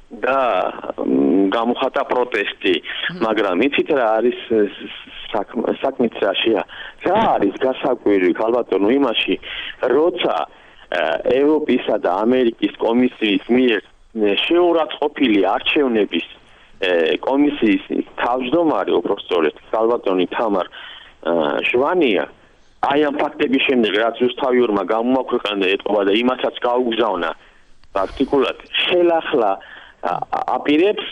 Speaker 4: და გამოხატა პროტესტი, მაგრამ იცით რა არის საქმეც რაშია? რა არის გასაკვირი ქალბატონო იმაში, როცა ევროპისა და ამერიკის კომისიის მიერ შეურაცხყოფილი არჩევნების კომისიის თავმჯდომარე უბრალოდ ქალბატონი თამარ შვანია აი ამ ფაქტების შემდეგ რაც ზუსტავიურმა გამოაქვეყნა ეტყობა და იმასაც გაუგზავნა პრაქტიკულად ხელახლა აპირებს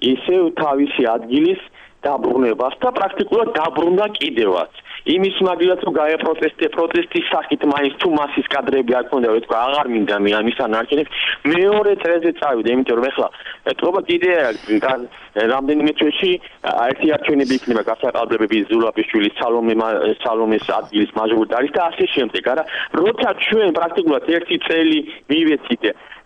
Speaker 4: ისევ თავისი ადგილის დაბრუნებას და პრაქტიკულად დაბრუნდა კიდევაც.
Speaker 6: იმის მაგალითად რომ გაია პროტესტი პროტესტის სახით მაინც თუ მასის კადრები არ ქონდა რა თქვა აღარ მინდა მე ამისთან არჩენებს მეორე წრეზე წავიდა იმიტომ რომ ეხლა ეთქობა კიდე რამდენიმე თვეში ერთი არჩევნები იქნება გასაყალბებები ზულაპიშვილის სალომე სალომეს ადგილის მაჟორიტარის და ასე შემდეგ არა როცა ჩვენ პრაქტიკულად ერთი წელი მივეცით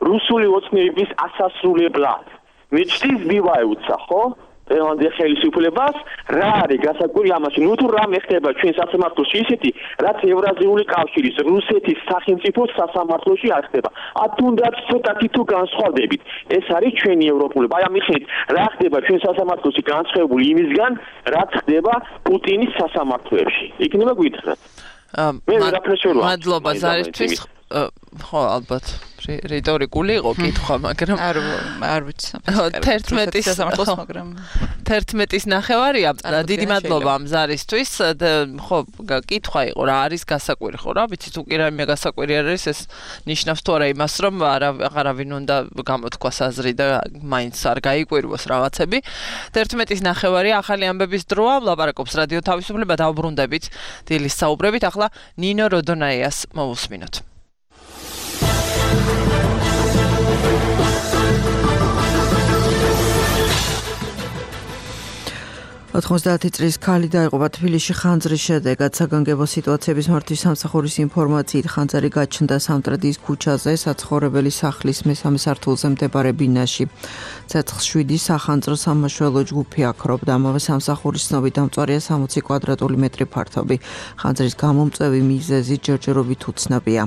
Speaker 6: რუსული ოცნების ასასრულებლად მიჩდის მივაეუცა ხო ევანდე ხელისუფლებას რა არის გასაკვირი ამაში ნუ თუ რამე ხდება ჩვენ სასამართლოში ისეთი რაც ევრაზიული კავშირის რუსეთის სახელმწიფოს სასამართლოში არ ხდება ა თუნდაც ცოტათი თუ განსხვავდებით ეს არის ჩვენი ევროპული აი ამიხით რა ხდება ჩვენ სასამართლოში განსხვავებული იმისგან რაც ხდება პუტინის სასამართლოებში იქნება გითხრათ მე ვერაფერშორვა
Speaker 2: მადლობა ზარისთვის ხო ალბათ რიტორიკული იყო კითხვა მაგრამ
Speaker 3: არ არ ვიცი
Speaker 2: თერთმეტის
Speaker 3: სასამართლოს მაგრამ
Speaker 2: თერთმეტის ნახევარია დიდი მადლობა ამ ზარისთვის ხო კითხვა იყო რა არის გასაკვირი ხო რა ვიცი თუ კი რამე გასაკვირი არის ეს ნიშნავს თუ არა იმას რომ აღარავინ უნდა გამოთქვას აზრი და მაინც არ გაიკვირვოს რაღაცები თერთმეტის ნახევარია ახალი ამბების დროა ვლაპარაკობს რადიო თავისუფლება დავბრუნდებით დილის საუბრებით ახლა ნინო როდონაიას მოვუსმინოთ
Speaker 7: ოთხმოცდაათი წლის ქალი დაიღუპა თბილისში ხანძრის შედეგად საგანგებო სიტუაციების მართვის სამსახურის ინფორმაციით ხანძარი გაჩნდა სამტრედიის ქუჩაზე საცხოვრებელი სახლის მესამე სართულზე მდებარე ბინაში ცეცხლ შვიდი სახანძრო სამმართველო ჯგუფი აქრობდა ამავე სამსახურის ცნობით დამწვარია სამოცი კვადრატული მეტრი ფართობი ხანძრის გამომწვევი მიზეზი ჯერჯერობით უცნობია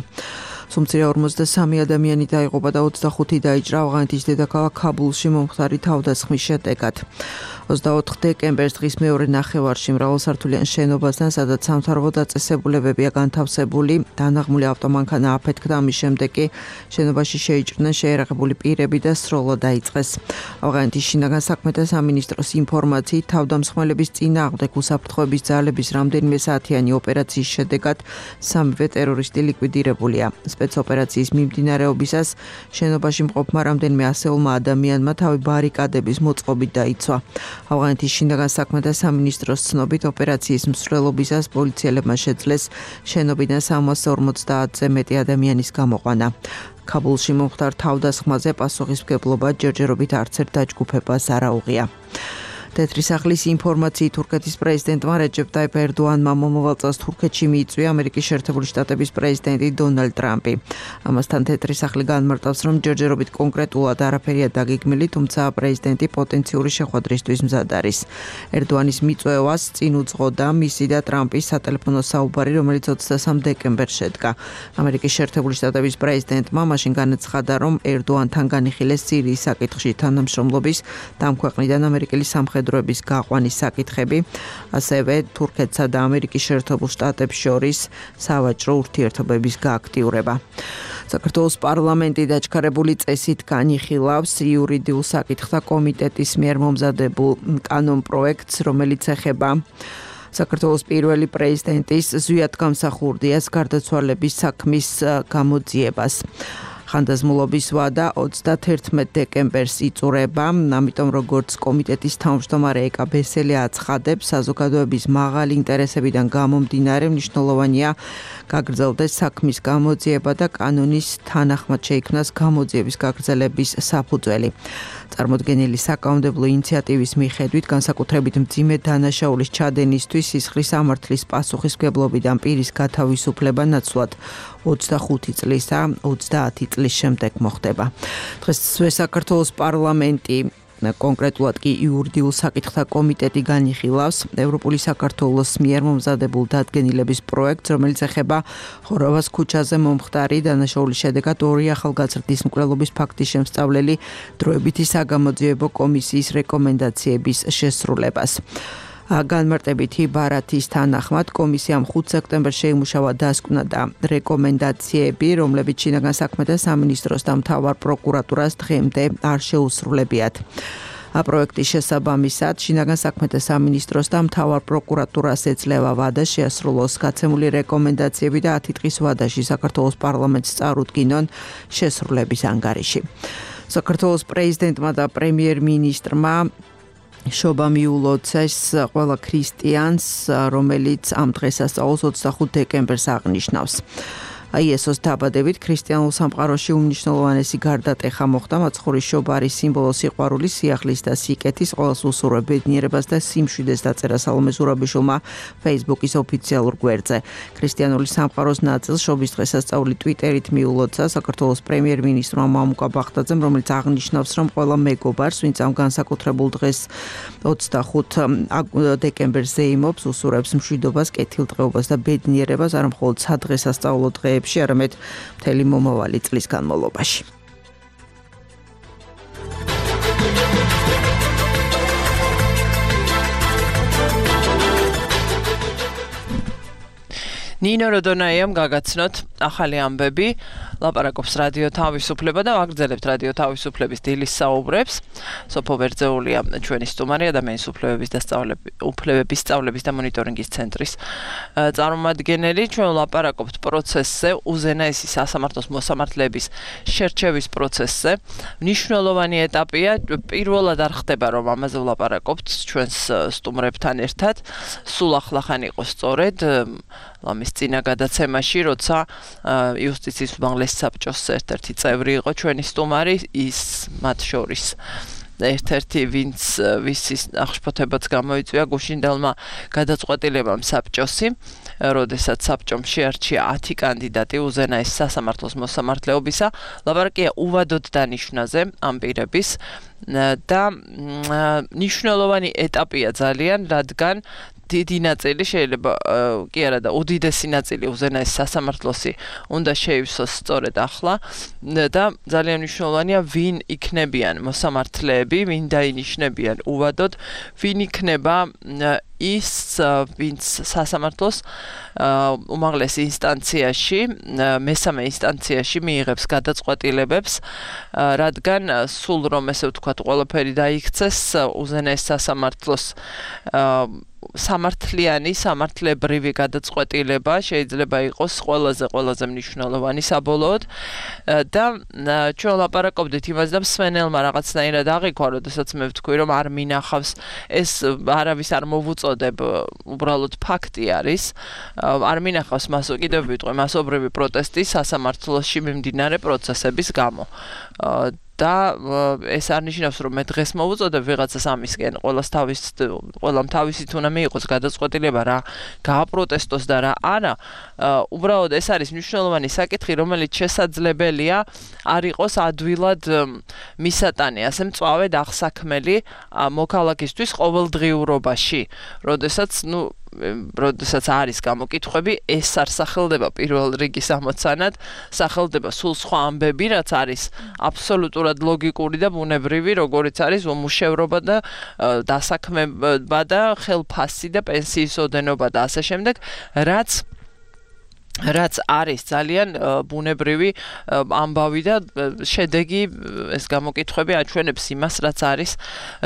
Speaker 7: სუმცირე ორმოცდასამი ადამიანი დაიღუპა და ოცდახუთი დაიჭრა ავღანეთის დედაქალაქ ქაბულში მომხდარი თავდასხმის შედეგად ოცდაოთხ დეკემბერს დღის მეორე ნახევარში მრავალსართულიან შენობასთან სადაც სამთავრობო დაწესებულებებია განთავსებული დანაღმული ავტომანქანა აფეთქდა ამის შემდეგ კი შენობაში შეიჭრნენ შეერაღებული პირები და სროლა დაიწყეს ავღანეთის შინაგან საქმეთა სამინისტროს ინფორმაციით თავდამსხმელების წინააღმდეგ უსაფრთხოების ძალების რამდენიმე საათიანი ოპერაციის შედეგად სამივე ტერორისტი ლიკვიდირებულია სპეცოპერაციის მიმდინარეობისას შენობაში მყოფმა რამდენიმე ასეულმა ადამიანმა თავი ბარიკადების მოწყობით დაიცვა ავღანეთის შინაგან საქმეთა სამინისტროს ცნობით ოპერაციის მსვლელობისას პოლიციელებმა შეძლეს შენობიდან სამას ორმოცდაათზე მეტი ადამიანის გამოყვანა ქაბულში მომხდარ თავდასხმაზე პასუხისმგებლობა ჯერჯერობით არც ერთ დაჯგუფებას არ აუღია თეთრი სახლის ინფორმაციით თურქეთის პრეზიდენტმა რეჯეპ ტაიპ ერდოანმა მომავალ წელს თურქეთში მიიწვია ამერიკის შეერთებული შტატების პრეზიდენტი დონალდ ტრამპი. ამასთან თეთრი სახლი განმარტავს, რომ ჯერჯერობით კონკრეტულად არაფერია დაგეგმილი, თუმცა პრეზიდენტი პოტენციური შეხვედრისთვის მზად არის. ერდოანის მიწვევას წინ უძღოდა მისი და ტრამპის სატელეფონო საუბარი, რომელიც ოცდასამ დეკემბერს შედგა. ამერიკის შეერთებული შტატების პრეზიდენტმა მაშინ განაცხადა, რომ ერდოანთან განიხილეს სირიის საკითხში თანამშრომლობის და ამ ქვეყნიდან ამერიკელი სამხედრო დროების გაყვანის საკითხები, ასევე თურქეთსა და ამერიკის შეერთებულ შტატებს შორის სავაჭრო ურთიერთობების გააქტიურება. საქართველოს პარლამენტი დაჩქარებული წესით განიხილავს იურიდიულ საკითხთა კომიტეტის მიერ მომზადებულ კანონპროექტს, რომელიც ეხება საქართველოს პირველი პრეზიდენტის ზვიად გამსახურდიას გარდაცვალების საქმის გამოძიებას. ხანდაზმულობის ვადა ოცდათერთმეტ დეკემბერს იწურება, ამიტომ როგორც კომიტეტის თავმჯდომარე ეკა ბესელი აცხადებს, საზოგადოების მაღალი ინტერესებიდან გამომდინარე მნიშვნელოვანია გაგრძელდეს საქმის გამოძიება და კანონის თანახმად შეიქმნას გამოძიების გაგრძელების საფუძველი. წარმოდგენილი საკანონმდებლო ინიციატივის მიხედვით განსაკუთრებით მძიმე დანაშაულის ჩადენისთვის სისხლის სამართლის პასუხისმგებლობიდან პირის გათავისუფლება ნაცვლად ოცდახუთი წლისა ოცდაათი წლის შემდეგ მოხდება. დღეს საქართველოს პარლამენტი კონკრეტულად კი იურიდიულ საკითხთა კომიტეტი განიხილავს ევროპული საქართველოს მიერ მომზადებულ დადგენილების პროექტს, რომელიც ეხება ხოროვას ქუჩაზე მომხდარი დანაშაულის შედეგად ორი ახალგაზრდის მკვლელობის ფაქტის შემსწავლელი დროებითი საგამოძიებო კომისიის რეკომენდაციების შესრულებას. განმარტებითი ბარათის თანახმად კომისიამ ხუთ სექტემბერს შეიმუშავა დასკვნა და რეკომენდაციები, რომლებიც შინაგან საქმეთა სამინისტროს და მთავარ პროკურატურას დღემდე არ შეუსრულებიათ. პროექტის შესაბამისად შინაგან საქმეთა სამინისტროს და მთავარ პროკურატურას ეძლევა ვადა შეასრულოს გაცემული რეკომენდაციები და ათი დღის ვადაში საქართველოს პარლამენტს წარუდგინონ შესრულების ანგარიში. საქართველოს პრეზიდენტმა და პრემიერ-მინისტრმა შობა მიულოცეს ყველა ქრისტიანს, რომელიც ამ დღესასწაულს ოცდახუთ დეკემბერს აღნიშნავს. აიესოს დაბადებით ქრისტიანულ სამყაროში უმნიშვნელოვანესი გარდატეხა მოხდა მაცხოვრის შობა არის სიმბოლო სიყვარულის, სიახლის და სიკეთის, ყოველს უსურვებ ბედნიერებას და სიმშვიდეს დაწერა სალომე ზურაბიშვილმა Facebook-ის ოფიციალურ გვერდზე. ქრისტიანული სამყაროს ნაწილს შობის დღესასწაული ტვიტერით მიულოცა საქართველოს პრემიერ-მინისტრმა მამუკა ბახტაძემ, რომელიც აღნიშნავს, რომ ყველა მეგობარს, ვინც ამ განსაკუთრებულ დღეს ოცდახუთ დეკემბერს ზეიმობს, უსურვებს მშვიდობას, კეთილდღეობას და ბედნიერებას არა მხოლოდ სადღესასწაულო დღეებში, არამედ მთელი მომავალი წლის განმავლობაში.
Speaker 2: ნინო როდონაიამ გაგაცნოთ ახალი ამბები, ლაპარაკობს რადიო თავისუფლება და ვაგრძელებთ რადიო თავისუფლების დილის საუბრებს. სოფო ვერძეულია ჩვენი სტუმარი, ადამიანის უფლებების და უფლებების სწავლების და მონიტორინგის ცენტრის წარმომადგენელი. ჩვენ ლაპარაკობთ პროცესზე, უზენაესი სასამართლოს მოსამართლეების შერჩევის პროცესზე. მნიშვნელოვანი ეტაპია, პირველად არ ხდება, რომ ამაზე ვლაპარაკობთ ჩვენს სტუმრებთან ერთად. სულ ახლახან იყო სწორედ ლამის წინა გადაცემაში, როცა იუსტიციის უმაღლესი საბჭოს ერთ-ერთი წევრი იყო ჩვენი სტუმარი, ის მათ შორის ერთ-ერთი ვინც ვისის აღშფოთებაც გამოიწვია გუშინდელმა გადაწყვეტილებამ საბჭოსი, როდესაც საბჭომ შეარჩია ათი კანდიდატი უზენაეს სასამართლოს მოსამართლეობისა. ლაპარაკია უვადოდ დანიშვნაზე ამ პირების და მნიშვნელოვანი ეტაპია ძალიან, რადგან დიდი ნაწილი შეიძლება კი არა და უდიდესი ნაწილი უზენაეს სასამართლოსი უნდა შეივსოს სწორედ ახლა და ძალიან მნიშვნელოვანია ვინ იქნებიან მოსამართლეები, ვინ დაინიშნებიან უვადოდ, ვინ იქნება ის ვინც სასამართლოს უმაღლეს ინსტანციაში, მესამე ინსტანციაში მიიღებს გადაწყვეტილებებს, რადგან სულ რომ ესე ვთქვათ, ყველაფერი დაიქცეს უზენაეს სასამართლოს სამართლიანი, სამართლებრივი გადაწყვეტილება შეიძლება იყოს ყველაზე ყველაზე მნიშვნელოვანი საბოლოოდ და ჩვენ ლაპარაკობდით იმაზე და მსმენელმა რაღაცნაირად აღიქვა, როდესაც მე ვთქვი, რომ არ მინახავს ეს არავის არ მოვუწოდებ, უბრალოდ ფაქტი არის, არ მინახავს მას კიდევ ვიტყვი მასობრივი პროტესტი სასამართლოში მიმდინარე პროცესების გამო. და ეს არ ნიშნავს, რომ მე დღეს მოვუწოდებ ვიღაცას ამისკენ, ყველას თავის ყველამ თავისით უნდა მიიღოს გადაწყვეტილება რა გააპროტესტოს და რა არა. უბრალოდ ეს არის მნიშვნელოვანი საკითხი, რომელიც შესაძლებელია არ იყოს ადვილად მისატანი, ასე მწვავედ აღსაქმელი მოქალაქისთვის ყოველდღიურობაში, როდესაც ნუ როდესაც არის გამოკითხვები, ეს არ სახელდება პირველ რიგის ამოცანად, სახელდება სულ სხვა ამბები, რაც არის აბსოლუტურად ლოგიკური და ბუნებრივი, როგორიც არის უმუშევრობა და დასაქმება და ხელფასი და პენსიის ოდენობა და ასე შემდეგ, რაც რაც არის ძალიან ბუნებრივი ამბავი და შედეგი ეს გამოკითხვები აჩვენებს იმას, რაც არის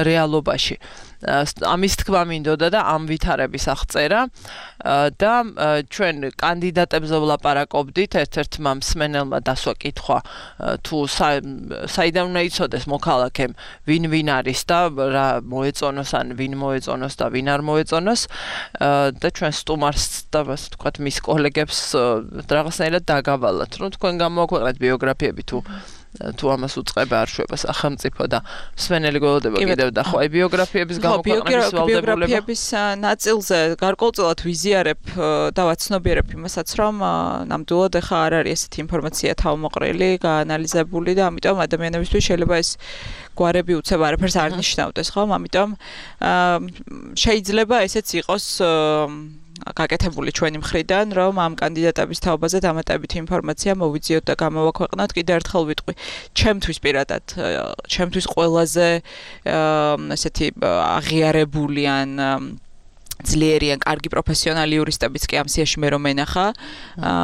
Speaker 2: რეალობაში. ამის თქმა მინდოდა და ამ ვითარების აღწერა და ჩვენ კანდიდატებზე ვლაპარაკობდით, ერთ-ერთმა მსმენელმა დასვა კითხვა თუ საიდან უნდა იცოდეს მოქალაქემ ვინ ვინ არის და რა მოეწონოს ან ვინ მოეწონოს და ვინ არ მოეწონოს და ჩვენ სტუმარს და ასე ვთქვათ მის კოლეგებს რაღაცნაირად დაგავალათ, რომ თქვენ გამოაქვეყნეთ ბიოგრაფიები თუ თუ ამას უწყება არ შვება სახელმწიფო და მსმენელი გველოდება კიდევ და ხო აი ბიოგრაფიების გამოქვეყნების ვალდებულება
Speaker 3: ბიოგრაფიების ნაწილზე გარკვეულწილად ვიზიარებ და ვაცნობიერებ იმასაც, რომ ნამდვილად ახლა არ არის ესეთი ინფორმაცია თავმოყრილი, გაანალიზებული და ამიტომ ადამიანებისთვის შეიძლება ეს გვარები უცებ არაფერს არ ნიშნავდეს, ხო? ამიტომ შეიძლება ესეც იყოს გაკეთებული ჩვენი მხრიდან, რომ ამ კანდიდატების თაობაზე დამატებით ინფორმაცია მოვიძიოთ და გამოვაქვეყნოთ. კიდევ ერთხელ ვიტყვი, ჩემთვის პირადად, ჩემთვის ყველაზე ესეთი აღიარებული ან ძლიერი ან კარგი პროფესიონალი იურისტებიც კი ამ სიაში მე რომ ენახა,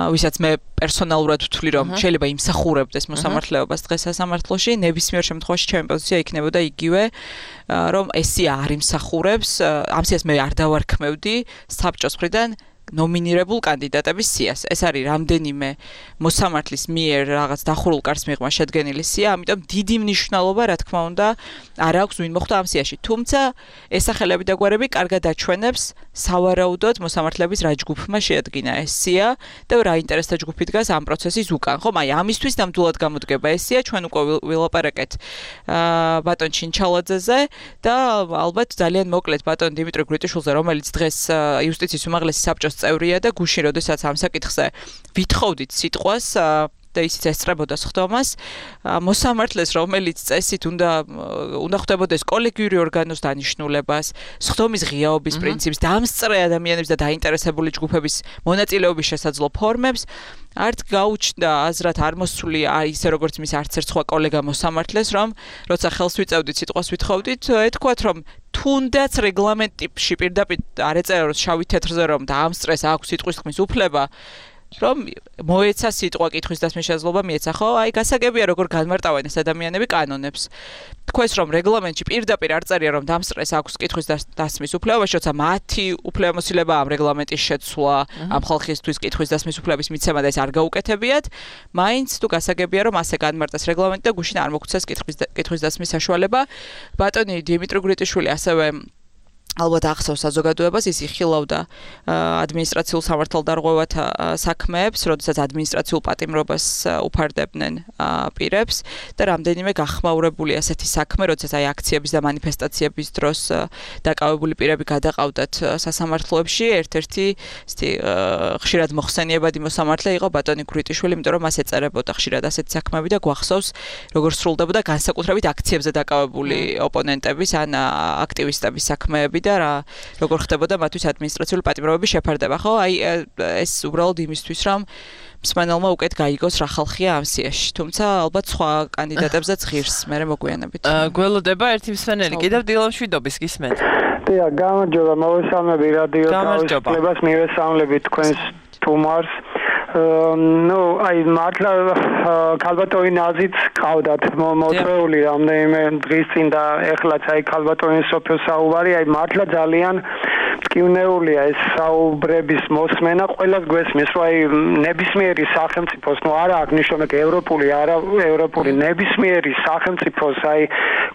Speaker 3: ვისაც მე პერსონალურად ვთვლი, რომ შეიძლება იმსახურებდეს მოსამართლეობას დღეს სასამართლოში, ნებისმიერ შემთხვევაში ჩემი პოზიცია იქნებოდა იგივე, რომ ესი არ იმსახურებს, ამ სიას მე არ დავარქმევდი საბჭოს მხრიდან ნომინირებულ კანდიდატების სიას. ეს არის რამდენიმე მოსამართლის მიერ რაღაც დახურულ კარს მიღმა შედგენილი სია, ამიტომ დიდი მნიშვნელობა, რა თქმა უნდა, არ აქვს ვინ მოხვდა ამ სიაში. თუმცა ეს სახელები და გვარები კარგად აჩვენებს სავარაუდოდ მოსამართლეების რა ჯგუფმა შეადგინა ეს სია და რა ინტერესთა ჯგუფი დგას ამ პროცესის უკან. ხომ, აი ამისთვის ნამდვილად გამოდგება ეს სია, ჩვენ უკვე ვილაპარაკეთ ბატონ ჩინჩალაძეზე და ალბათ ძალიან მოკლედ ბატონ დიმიტრი გრიტიშვილზე, რომელიც დღეს იუსტიციის უმაღლესი საბჭოს წევრია და გუშინ როდესაც ამ საკითხზე ვითხოვდით სიტყვას და ისიც ესწრებოდა სხდომას, მოსამართლეს, რომელიც წესით უნდა უნდა ხვდებოდეს კოლეგიური ორგანოს დანიშნულებას, სხდომის ღიაობის პრინციპს, დამსწრე ადამიანების და დაინტერესებული ჯგუფების მონაწილეობის შესაძლო ფორმებს, არც გაუჩნდა აზრად არ მოსული ისე როგორც მის არც ერთ სხვა კოლეგა მოსამართლეს, რომ როცა ხელს ვიწევდით სიტყვას ვითხოვდით, ეთქვათ, რომ თუნდაც რეგლამენტში პირდაპირ არ ეწერა შავი თეთრზე, რომ დაამსწრეს აქვს სიტყვის თქმის უფლება, რომ მოეცა სიტყვა კითხვის დასმის შესაძლებლობა მიეცა, ხო? აი გასაგებია როგორ განმარტავენ ეს ადამიანები კანონებს. თქვენს რომ რეგლამენტში პირდაპირ არ წერია რომ დამსწრეს აქვს კითხვის დასმის უფლება, როცა მათი უფლებამოსილება ამ რეგლამენტის შეცვლა, ამ ხალხისთვის კითხვის დასმის უფლების მიცემა და ეს არ გაუკეთებიათ, მაინც თუ გასაგებია რომ ასე განმარტეს რეგლამენტი და გუშინ არ მოგვცეს კითხვის კითხვის დასმის საშუალება. ბატონი დიმიტრი გრიტიშვილი ასევე ალბათ ახსოვს საზოგადოებას, ის იხილავდა ადმინისტრაციულ სამართალდარღვევათა საქმეებს, როდესაც ადმინისტრაციულ პატიმრობას უფარდებდნენ პირებს და რამდენიმე გახმაურებული ასეთი საქმე, როდესაც აი აქციების და მანიფესტაციების დროს დაკავებული პირები გადაყავდათ სასამართლოებში, ერთ-ერთი ისეთი ხშირად მოხსენიებადი მოსამართლე იყო ბატონი გრიტიშვილი, იმიტომ რომ მას ეწერებოდა ხშირად ასეთი საქმეები და გვახსოვს, როგორ სრულდებოდა განსაკუთრებით აქციებზე დაკავებული ოპონენტების ან აქტივისტების საქმეები და რა როგორ ხდებოდა მათთვის ადმინისტრაციული პატიმრობების შეფარდება, ხო? აი ეს უბრალოდ იმისთვის, რომ მსმენელმა უკეთ გაიგოს რა ხალხია ამ სიაში. თუმცა ალბათ სხვა კანდიდატებზეც ღირს, მე მოგვიანებით.
Speaker 2: გველოდება ერთი მსმენელი, კიდევ დილამშვიდობის გისმენთ.
Speaker 8: დიახ, გამარჯობა, მოვესალმები რადიო თავისუფლებას, მივესალმებით თქვენს თუმარს. ნუ აი მართლა ქალბატონი ნაზიც ყავდათ მოწვეული რამდენიმე დღის წინ და ეხლაც აი ქალბატონი სოფიო საუბარი, აი მართლა ძალიან მტკივნეულია ეს საუბრების მოსმენა, ყველას გვესმის, რომ აი ნებისმიერი სახელმწიფოს, ნუ არა აქვს ნიშნობა ევროპული, არა ევროპული, ნებისმიერი სახელმწიფოს აი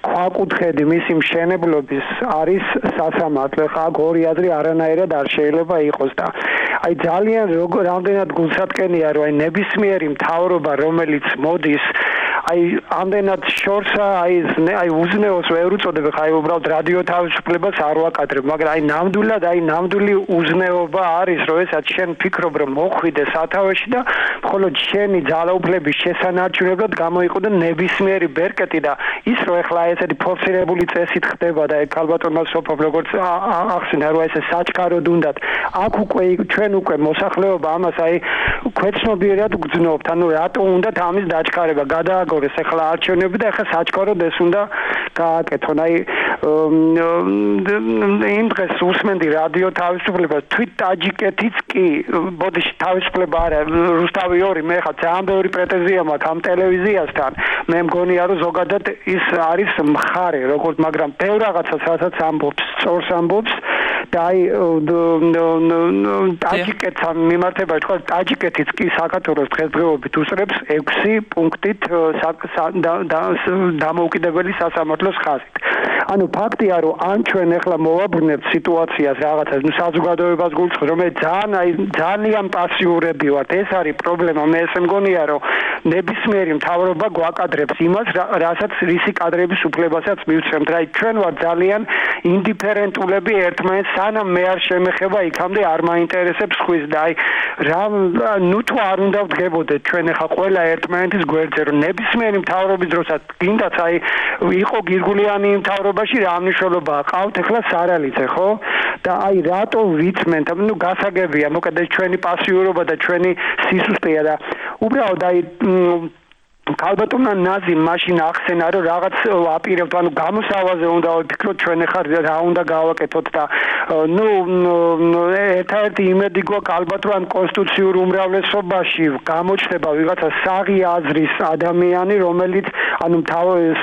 Speaker 8: ქვაკუთხედი მისი მშენებლობის არის სასამართლო. ხა ორი აზრი არანაირად არ შეიძლება იყოს და აი ძალიან როგორ რამდენად გულსატკენია, რომ აი ნებისმიერი მთავრობა, რომელიც მოდის აი ამდენად შორსა აი აი უზნეოს ვერ უწოდებ, ხა აი უბრალოდ რადიო თავისუფლებას არ ვაკადრებ, მაგრამ აი ნამდვილად აი ნამდვილი უზნეობა არის, რომ ესაც შენ ფიქრობ, რომ მოხვიდე სათავეში და მხოლოდ შენი ძალაუფლების შესანარჩუნებლად გამოიყო ნებისმიერი ბერკეტი და ის რომ ეხლა ესეთი ფორსირებული წესით ხდება და ეგ ქალბატონმა სოფობ როგორც ახსენა, რომ ესე საჩქაროდ უნდათ. აქ უკვე ჩვენ უკვე მოსახლეობა ამას აი ქვეცნობიერად გძნობთ, ანუ რატო უნდათ ამის დაჩქარება, გადააგორეს ეხლა არჩევნები და ეხლა საჩქაროდ ეს უნდა გააკეთონ. აი იმ დღეს უსმენდი რადიო თავისუფლებას, თვით ტაჯიკეთიც კი, ბოდიში თავისუფლება არა, რუსთავი ორი, მე ხა ძალიან ბევრი პრეტენზია მაქვს ამ ტელევიზიასთან. მე მგონია რომ ზოგადად ის არის მხარე, როგორც მაგრამ ბევრ რაღაცას რასაც ამბობს, სწორს ამბობს და აი ტაჯიკეთთან მიმართება თქვა ტაჯიკეთიც კი საქართველოს დღესდღეობით უსწრებს ექვსი პუნქტით დამოუკიდებელი სასამართლოს ხაზით. ანუ ფაქტია რომ ან ჩვენ ახლა მოვაბრუნებთ სიტუაციას რაღაცას, ნუ საზოგადოებას გულწრფელს, რომ ძალიან აი ძალიან პასიურები ვართ. ეს არის პრობლემა. მე ესე მგონია რომ ნებისმიერი მთავრობა გვაკადრებს იმას, რასაც რისი კადრების უფლებასაც მივცემთ. აი ჩვენ ვარ ძალიან ინდიფერენტულები ერთმანეთს, სანამ მე არ შემეხება იქამდე არ მაინტერესებს ხვის და აი რა ნუ თუ არ უნდა ვდგებოდეთ ჩვენ ახლა ყველა ერთმანეთის გვერდზე, რომ ნებისმიერი მთავრობის დროსაც გინდათ აი იყო გირგულიანი მთავრობაში რა მნიშვნელობა ყავთ ახლა სარალიძე, ხო? და აი რატო ვიცმენთ, ნუ გასაგებია, მოკლედ ჩვენი პასიურობა და ჩვენი სისუსტეა და უბრალოდ აი ქალბატონმა ნაზიმ მაშინ ახსენა რომ რაღაც აპირებთ ანუ გამოსავაზე უნდა ვფიქროთ ჩვენ ახლა რა უნდა გავაკეთოთ და ნუ ერთ-ერთი იმედი გვაქვს ალბათ რომ კონსტიტუციურ უმრავლესობაში გამოჩნდება ვიღაცა საღი აზრის ადამიანი რომელიც ანუ თავის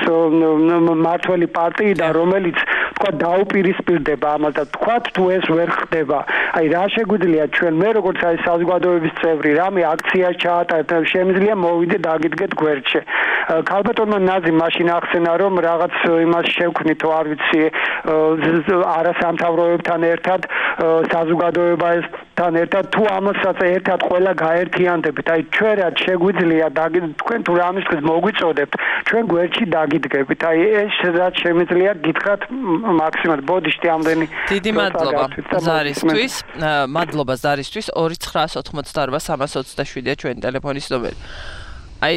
Speaker 8: მართველი პარტიიდან რომელიც თქვა დაუპირისპირდება ამას და თქვა თუ ეს ვერ ხდება აი რა შეგვიძლია ჩვენ მე როგორც აი საზოგადოების წევრი რამე აქცია ჩაატარეთ შემიძლია მოვიდე დაგიდგეთ გვერდში ქალბატონმა ნაზიმ მაშინ ახსენა რომ რაღაც იმას შევქმნითო არ ვიცი არასამთავროებთან ერთად საზოგადოებასთან ერთად თუ ამასაც ერთად ყველა გაერთიანდებით აი ჩვენ რა შეგვიძლია თქვენ თუ რამის დღეს მოგვიწოდებთ ჩვენ გვერდში დაგიდგებით აი ეს რაც შემიძლია გითხრათ მაქსიმალურად ბოდიშტი ამდენი
Speaker 2: დიდი მადლობა ზარისთვის მადლობა ზარისთვის ორი ცხრა ოთხმოცდაოთხ სამას ოცდაშვიდია ჩვენი ტელეფონის ნომერი აი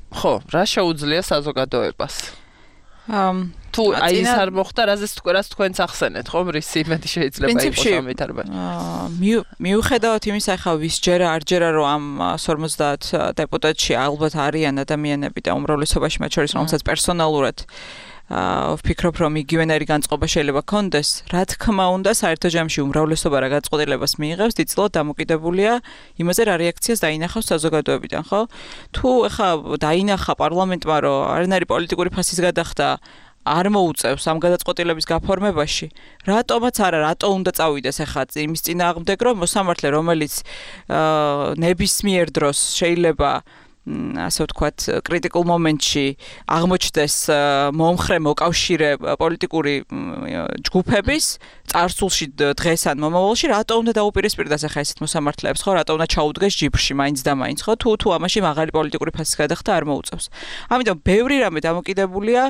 Speaker 2: ხო რა შეუძლია საზოგადოებას თუ აი ეს არ მოხდა რაზეც თქვენს თქვენს ახსენეთ ხომ რის იმედი შეიძლება იყოს ამ ვითარებაში
Speaker 3: მიუხედავად იმისა ხა ვის ჯერა არ ჯერა რომ ამ ორმოცდაათ დეპუტატში ალბათ არიან ადამიანები და უმრავლესობაში მათ შორის რომელსაც პერსონალურად ვფიქრობ რომ იგივენერი განწყობა შეიძლება კონდეს რა თქმა უნდა საერთო ჯამში უმრავლესობა რა განწყობილებას მიიღებს დიდწილად დამოკიდებულია იმაზე რა რეაქციას დაინახავს საზოგადოებიდან ხო თუ ეხა დაინახა პარლამენტმა რომ არანაირი პოლიტიკური ფასის გადახდა არ მოუწევს ამ გადაწყვეტილების გაფორმებაში რატომაც არა რატო უნდა წავიდეს ეხა იმის წინააღმდეგ რომ მოსამართლე რომელიც ნებისმიერ დროს შეიძლება ასე ვთქვათ კრიტიკულ მომენტში აღმოჩნდეს მომხრე მოკავშირე პოლიტიკური ჯგუფების წარსულში დღეს ან მომავალში რატო უნდა დაუპირისპირდეს ახლა ესეთ მოსამართლეებს ხო რატო უნდა ჩაუდგეს ჯიბრში მაინც და მაინც ხო თუ თუ ამაში მაღალი პოლიტიკური ფასის გადახდა არ მოუწევს ამიტომ ბევრი რამე დამოკიდებულია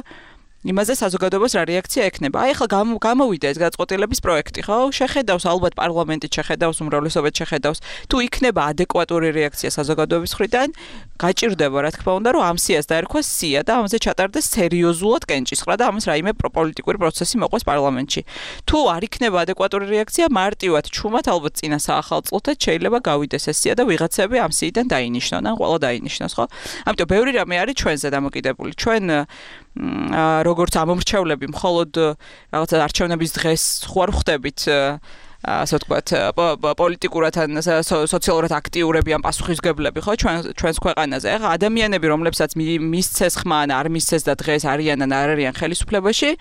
Speaker 3: იმაზე საზოგადოებას რა რეაქცია ექნება. აი ახლა გამოვიდა ეს გადაწყვეტილების პროექტი, ხო? შეხედავს ალბათ პარლამენტი შეხედავს, უმრავლესობა შეხედავს. თუ იქნება ადეკვატური რეაქცია საზოგადოების მხრიდან, გაჭირდება რა თქმა უნდა, რომ ამ სიას დაერქვა სია და ამაზე ჩატარდეს სერიოზულად კენჭისყრა და ამას რაიმე პოლიტიკური პროცესი მოყვეს პარლამენტში. თუ არ იქნება ადეკვატური რეაქცია, მარტივად ჩუმად ალბათ წინა საახალ წლთაც შეიძლება გავიდეს ეს სია და ვიღაცები ამ სიიდან დაინიშნონ, ან ყველა დაინიშნოს, ხო? ამიტომ ბევრი რამე არის ჩვენზე დამოკიდებული. ჩვენ როგორც ამომრჩევლები მხოლოდ რაღაცა არჩევნების დღეს ხوار ხვდებით ასე ვთქვათ პოლიტიკურად ან სოციალურად აქტიურები ან პასუხისმგებლები ხო ჩვენ ჩვენს ქვეყანაზე ახლა ადამიანები რომლებსაც მისცეს ხმა ან არ მისცეს და დღეს არიან ან არ არიან ხელისუფლებაში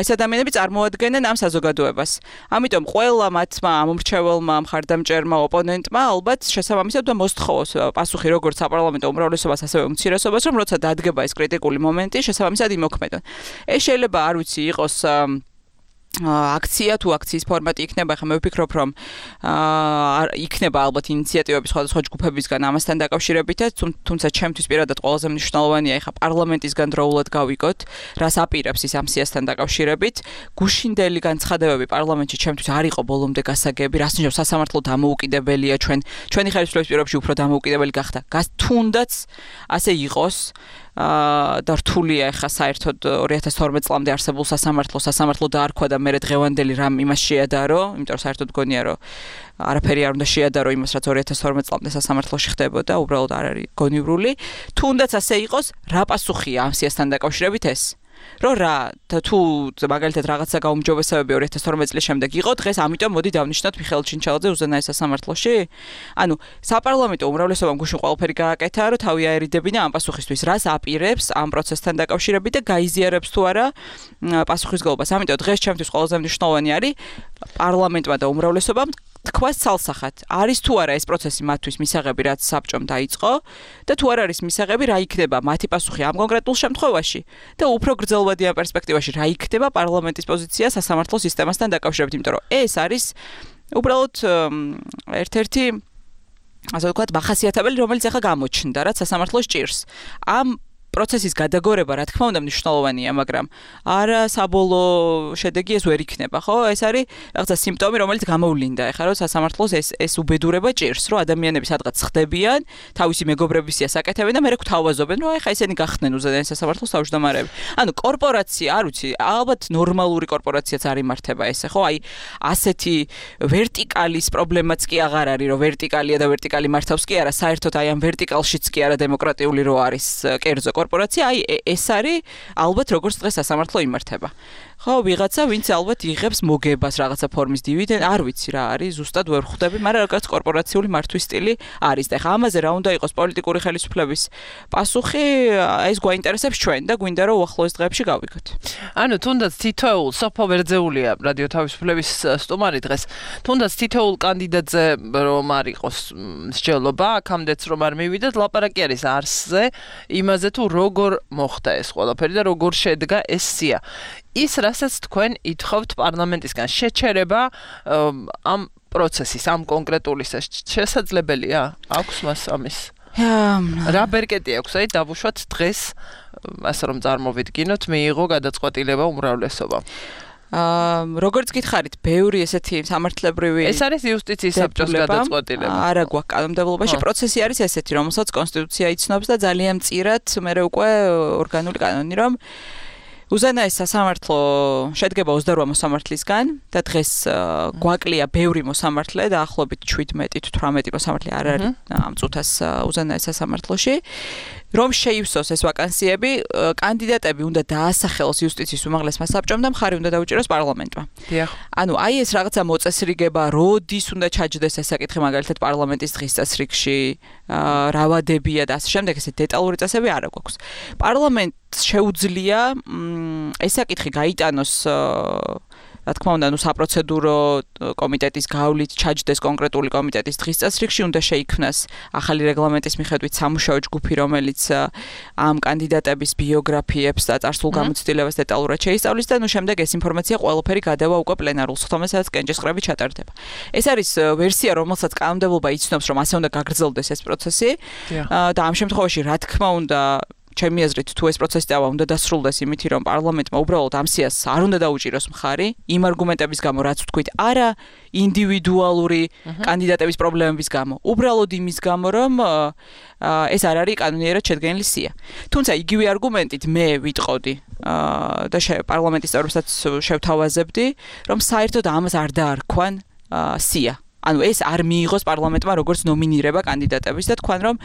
Speaker 3: ეს ადამიანები წარმოადგენენ ამ საზოგადოებას ამიტომ ყველა მათმა ამომრჩეველმა მხარდამჭერმა ოპონენტმა ალბათ შესაბამისად და მოსთხოვოს პასუხი როგორც საპარლამენტო უმრავლესობას ასევე უმცირესობას რომ როცა დადგება ეს კრიტიკული მომენტი შესაბამისად იმოქმედონ ეს შეიძლება არ ვიცი იყოს აქცია თუ აქციის ფორმატი იქნება, ხა მე ვფიქრობ, რომ იქნება ალბათ ინიციატივები სხვადასხვა ჯგუფებისგან ამასთან დაკავშირებითაც, თუმცა ჩემთვის პირადად ყველაზე მნიშვნელოვანია ხა პარლამენტისგან დროულად გავიგოთ, რას აპირებს ის ამ სიასთან დაკავშირებით. გუშინდელი განცხადებები პარლამენტში ჩემთვის არ იყო ბოლომდე გასაგები, რას ნიშნავს სასამართლო დამოუკიდებელია ჩვენ, ჩვენი ხელისუფლების პირობებში უფრო დამოუკიდებელი გახდა. თუნდაც ასე იყოს და რთულია ახლა საერთოდ ორი ათას თორმეტ წლამდე არსებულ სასამართლოს სასამართლო დაარქვა და მე დღევანდელი რამ იმას შეადარო, იმიტომ რომ საერთოდ გონია რომ არაფერი არ უნდა შეადარო იმას რაც ორი ათას თორმეტ წლამდე სასამართლოში ხდებოდა, უბრალოდ არ არის გონივრული. თუნდაც ასე იყოს, რა პასუხია ამ სიასთან დაკავშირებით ეს? რო რა თუ მაგალითად რაღაცა გაუმჯობესებები ორი ათას თორმეტ წლის შემდეგ იყო დღეს ამიტომ მოდი დავნიშნოთ მიხეილ ჩინჩალაძე უზენაეს სასამართლოში ანუ საპარლამენტო უმრავლესობამ გუშინ ყველაფერი გააკეთა რომ თავი აერიდებინა ამ პასუხისთვის რას აპირებს ამ პროცესთან დაკავშირებით და გაიზიარებს თუ არა პასუხისგებლობას ამიტომ დღეს ჩემთვის ყველაზე მნიშვნელოვანი არის პარლამენტმა და უმრავლესობამ თქვას ცალსახად არის თუ არა ეს პროცესი მათთვის მისაღები რაც საბჭომ დაიწყო და თუ არ არის მისაღები რა იქნება მათი პასუხი ამ კონკრეტულ შემთხვევაში და უფრო გრძელვადიან პერსპექტივაში რა იქნება პარლამენტის პოზიცია სასამართლო სისტემასთან დაკავშირებით იმიტომ რომ ეს არის უბრალოდ ერთ-ერთი ასე ვთქვათ მახასიათებელი რომელიც ახლა გამოჩნდა რაც სასამართლოს ჭირს ამ პროცესის გადაგორება, რა თქმა უნდა, მნიშვნელოვანია, მაგრამ არა საბოლოო შედეგი ეს ვერ იქნება, ხო? ეს არის რაღაცა სიმპტომი, რომელიც გამოვლინდა, ეხლა რომ სასამართლოს ეს ეს უბედურება ჭირს, რომ ადამიანები სადღაც ხდებიან, თავისი მეგობრების სიასაკეთებენ და მერე გვთავაზობენ, რომ ეხლა ესენი გახდნენ უზენაეს სასამართლოს თავმჯდომარეები. ანუ კორპორაცია, არ ვიცი, ალბათ ნორმალური კორპორაციაც არ იმართება ესე, ხო? აი ასეთი ვერტიკალის პრობლემაც კი აღარ არის, რომ ვერტიკალია და ვერტიკალი მართავს კი არა, საერთოდ აი ამ ვერტიკალშიც კი არა დემოკრატიული რო არის კერძო კორპორაცია, აი ეს არის ალბათ როგორც დღეს სასამართლო იმართება. ხო, ვიღაცა, ვინც ალბათ იღებს მოგებას რაღაცა ფორმის დივიდენდ, არ ვიცი რა არის, ზუსტად ვერ ხვდები, მაგრამ რაღაც კორპორაციული მართვის სტილი არის. და ეხლა ამაზე რა უნდა იყოს პოლიტიკური ხელისუფლების პასუხი, ეს გვაინტერესებს ჩვენ და გვინდა რომ უახლოეს დღეებში გავიგოთ.
Speaker 2: ანუ თუნდაც თითოეულ სოფო ვერძეულია რადიო თავისუფლების სტუმარი დღეს, თუნდაც თითოეულ კანდიდატზე რომ არ იყოს მსჯელობა, აქამდეც რომ არ მივიდეთ, ლაპარაკი არის არსზე, იმაზე თუ როგორ მოხდა ეს ყველაფერი და როგორ შედგა ეს სია. ის რასაც თქვენ ითხოვთ პარლამენტისგან შეჩერება ამ პროცესის, ამ კონკრეტული შესაძლებელია? აქვს მას ამის? რა ბერკეტი აქვს, აი დავუშვათ დღეს, ასე რომ წარმოვიდგინოთ, მიიღო გადაწყვეტილება უმრავლესობა.
Speaker 3: აა როგორც გითხარით, ბევრი ესეთი სამართლებრივი
Speaker 2: ეს არის იუსტიციის საბჭოს გადაწყვეტილება.
Speaker 3: არა გვაქვს კანონმდებლობაში, პროცესი არის ესეთი, რომელსაც კონსტიტუცია იცნობს და ძალიან მწირად მერე უკვე ორგანული კანონი, რომ უზენაეს სასამართლო შედგება ოცდაორ მოსამართლისგან და დღეს გვაკლია ბევრი მოსამართლე და ახლობით შვიდმეტი თუ თვრამეტი მოსამართლე არ არის ამ წუთას უზენაეს სასამართლოში. რომ შეივსოს ეს ვაკანსიები, კანდიდატები უნდა დაასახელოს იუსტიციის უმაღლესმა საბჭომ და მხარი უნდა დაუჭიროს პარლამენტმა.
Speaker 2: დიახ.
Speaker 3: ანუ აი ეს რაღაცა მოწესრიგება, როდის უნდა ჩაჯდეს ეს საკითხი მაგალითად პარლამენტის დღის წესრიგში, რა ვადებია და ასე შემდეგ, ესე დეტალური წესები არ აქვს. პარლამენტს შეუძლია ეს საკითხი გაიტანოს რა თქმა უნდა, ნუ საპროცედურო კომიტეტის გავლით ჩაჯდეს კონკრეტული კომიტეტის დღის წესრიგში, უნდა შეიქმნას ახალი რეგლამენტის მიხედვით სამუშაო ჯგუფი, რომელიც ამ კანდიდატების ბიოგრაფიებს და წარსულ გამოცდილებას დეტალურად შეისწავლის და ნუ შემდეგ ეს ინფორმაცია ყველაფერი გადავა უკვე პლენარულ სხდომას, სადაც კენჭისყრები ჩატარდება. ეს არის ვერსია, რომელსაც კანონმდებლობა იცნობს, რომ ასე უნდა გაგრძელდეს ეს პროცესი და ამ შემთხვევაში რა თქმა უნდა ჩემი აზრით თუ ეს პროცესი დავა უნდა დასრულდეს იმითი რომ პარლამენტმა უბრალოდ ამ სიას არ უნდა დაუჭიროს მხარი იმ არგუმენტების გამო რაც ვთქვით არა ინდივიდუალური კანდიდატების პრობლემების გამო უბრალოდ იმის გამო რომ ეს არ არის კანონიერად შედგენილი სია თუმცა იგივე არგუმენტით მე ვიტყოდი და პარლამენტის წევრებსაც შევთავაზებდი რომ საერთოდ ამას არ დაარქვან სია ანუ ეს არ მიიღოს პარლამენტმა როგორც ნომინირება კანდიდატების და თქვენ რომ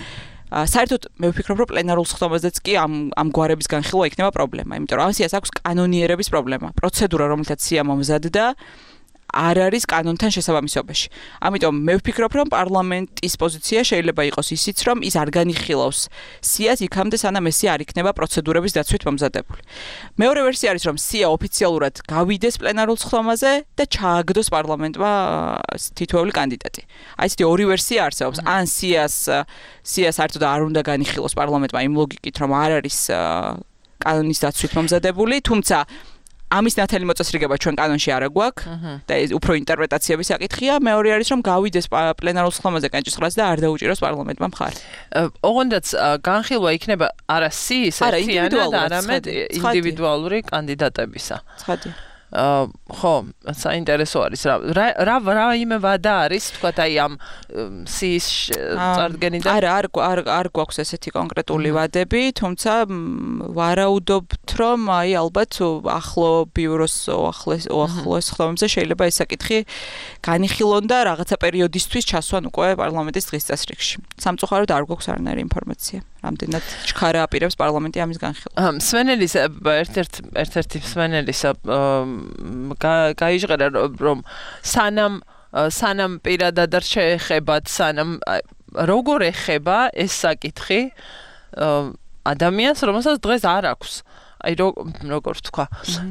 Speaker 3: საერთოდ მე ვფიქრობ რომ პლენარულ სხდომაზეც კი ამ ამ გვარების განხილვა იქნება პრობლემა, იმიტომ რომ ამ სიას აქვს კანონიერების პრობლემა. პროცედურა, რომელთაც სია მომზადდა, არ არის კანონთან შესაბამისობაში. ამიტომ მე ვფიქრობ რომ პარლამენტის პოზიცია შეიძლება იყოს ისიც რომ ის არ განიხილავს სიას იქამდე სანამ ეს არ იქნება პროცედურების დაცვით მომზადებული. მეორე ვერსია არის რომ სია ოფიციალურად გავიდეს პლენარულ სხდომაზე და ჩააგდოს პარლამენტმა თითოეული კანდიდატი. აი ესეთი ორი ვერსია არსებობს. ან სიას სიას საერთოდ არ უნდა განიხილოს პარლამენტმა იმ ლოგიკით რომ არ არის კანონის დაცვით მომზადებული, თუმცა ამის ნათელი მოწესრიგება ჩვენ კანონში არ გვაქვს და ეს უფრო ინტერპრეტაციების საკითხია. მეორე არის რომ გავიდეს პლენარულ სხდომაზე კენჭისყრაც და არ დაუჭიროს პარლამენტმა მხარი.
Speaker 2: ოღონდაც განხილვა იქნება არა სიის ერთიანად, არამედ ინდივიდუალური კანდიდატებისა.
Speaker 3: ცხადია.
Speaker 2: ხო, საინტერესო არის რა რა რა იმე ვადა არის, თქვათ აი ამ სიის წარდგენიდან.
Speaker 3: არა, არ არ არ გვაქვს ესეთი კონკრეტული ვადები, თუმცა ვარაუდობთ რომ აი ალბათ ახლო ბიუროს ახლეს ახლოს ხდომებზე შეიძლება ეს საკითხი განიხილონ და რაღაცა პერიოდისთვის ჩასვან უკვე პარლამენტის დღის წესრიგში. სამწუხაროდ არ გვაქვს არანაირი ინფორმაცია. რამდენად ჩქარა აპირებს პარლამენტი ამის განხილვას.
Speaker 2: მსმენელის ერთ-ერთ ერთ-ერთი მსმენელის გაიჟღერა რომ სანამ სანამ პირადად არ შეეხებათ, სანამ როგორ ეხება ეს საკითხი ადამიანს, რომელსაც დღეს არ აქვს. აი როგორ ვთქვა,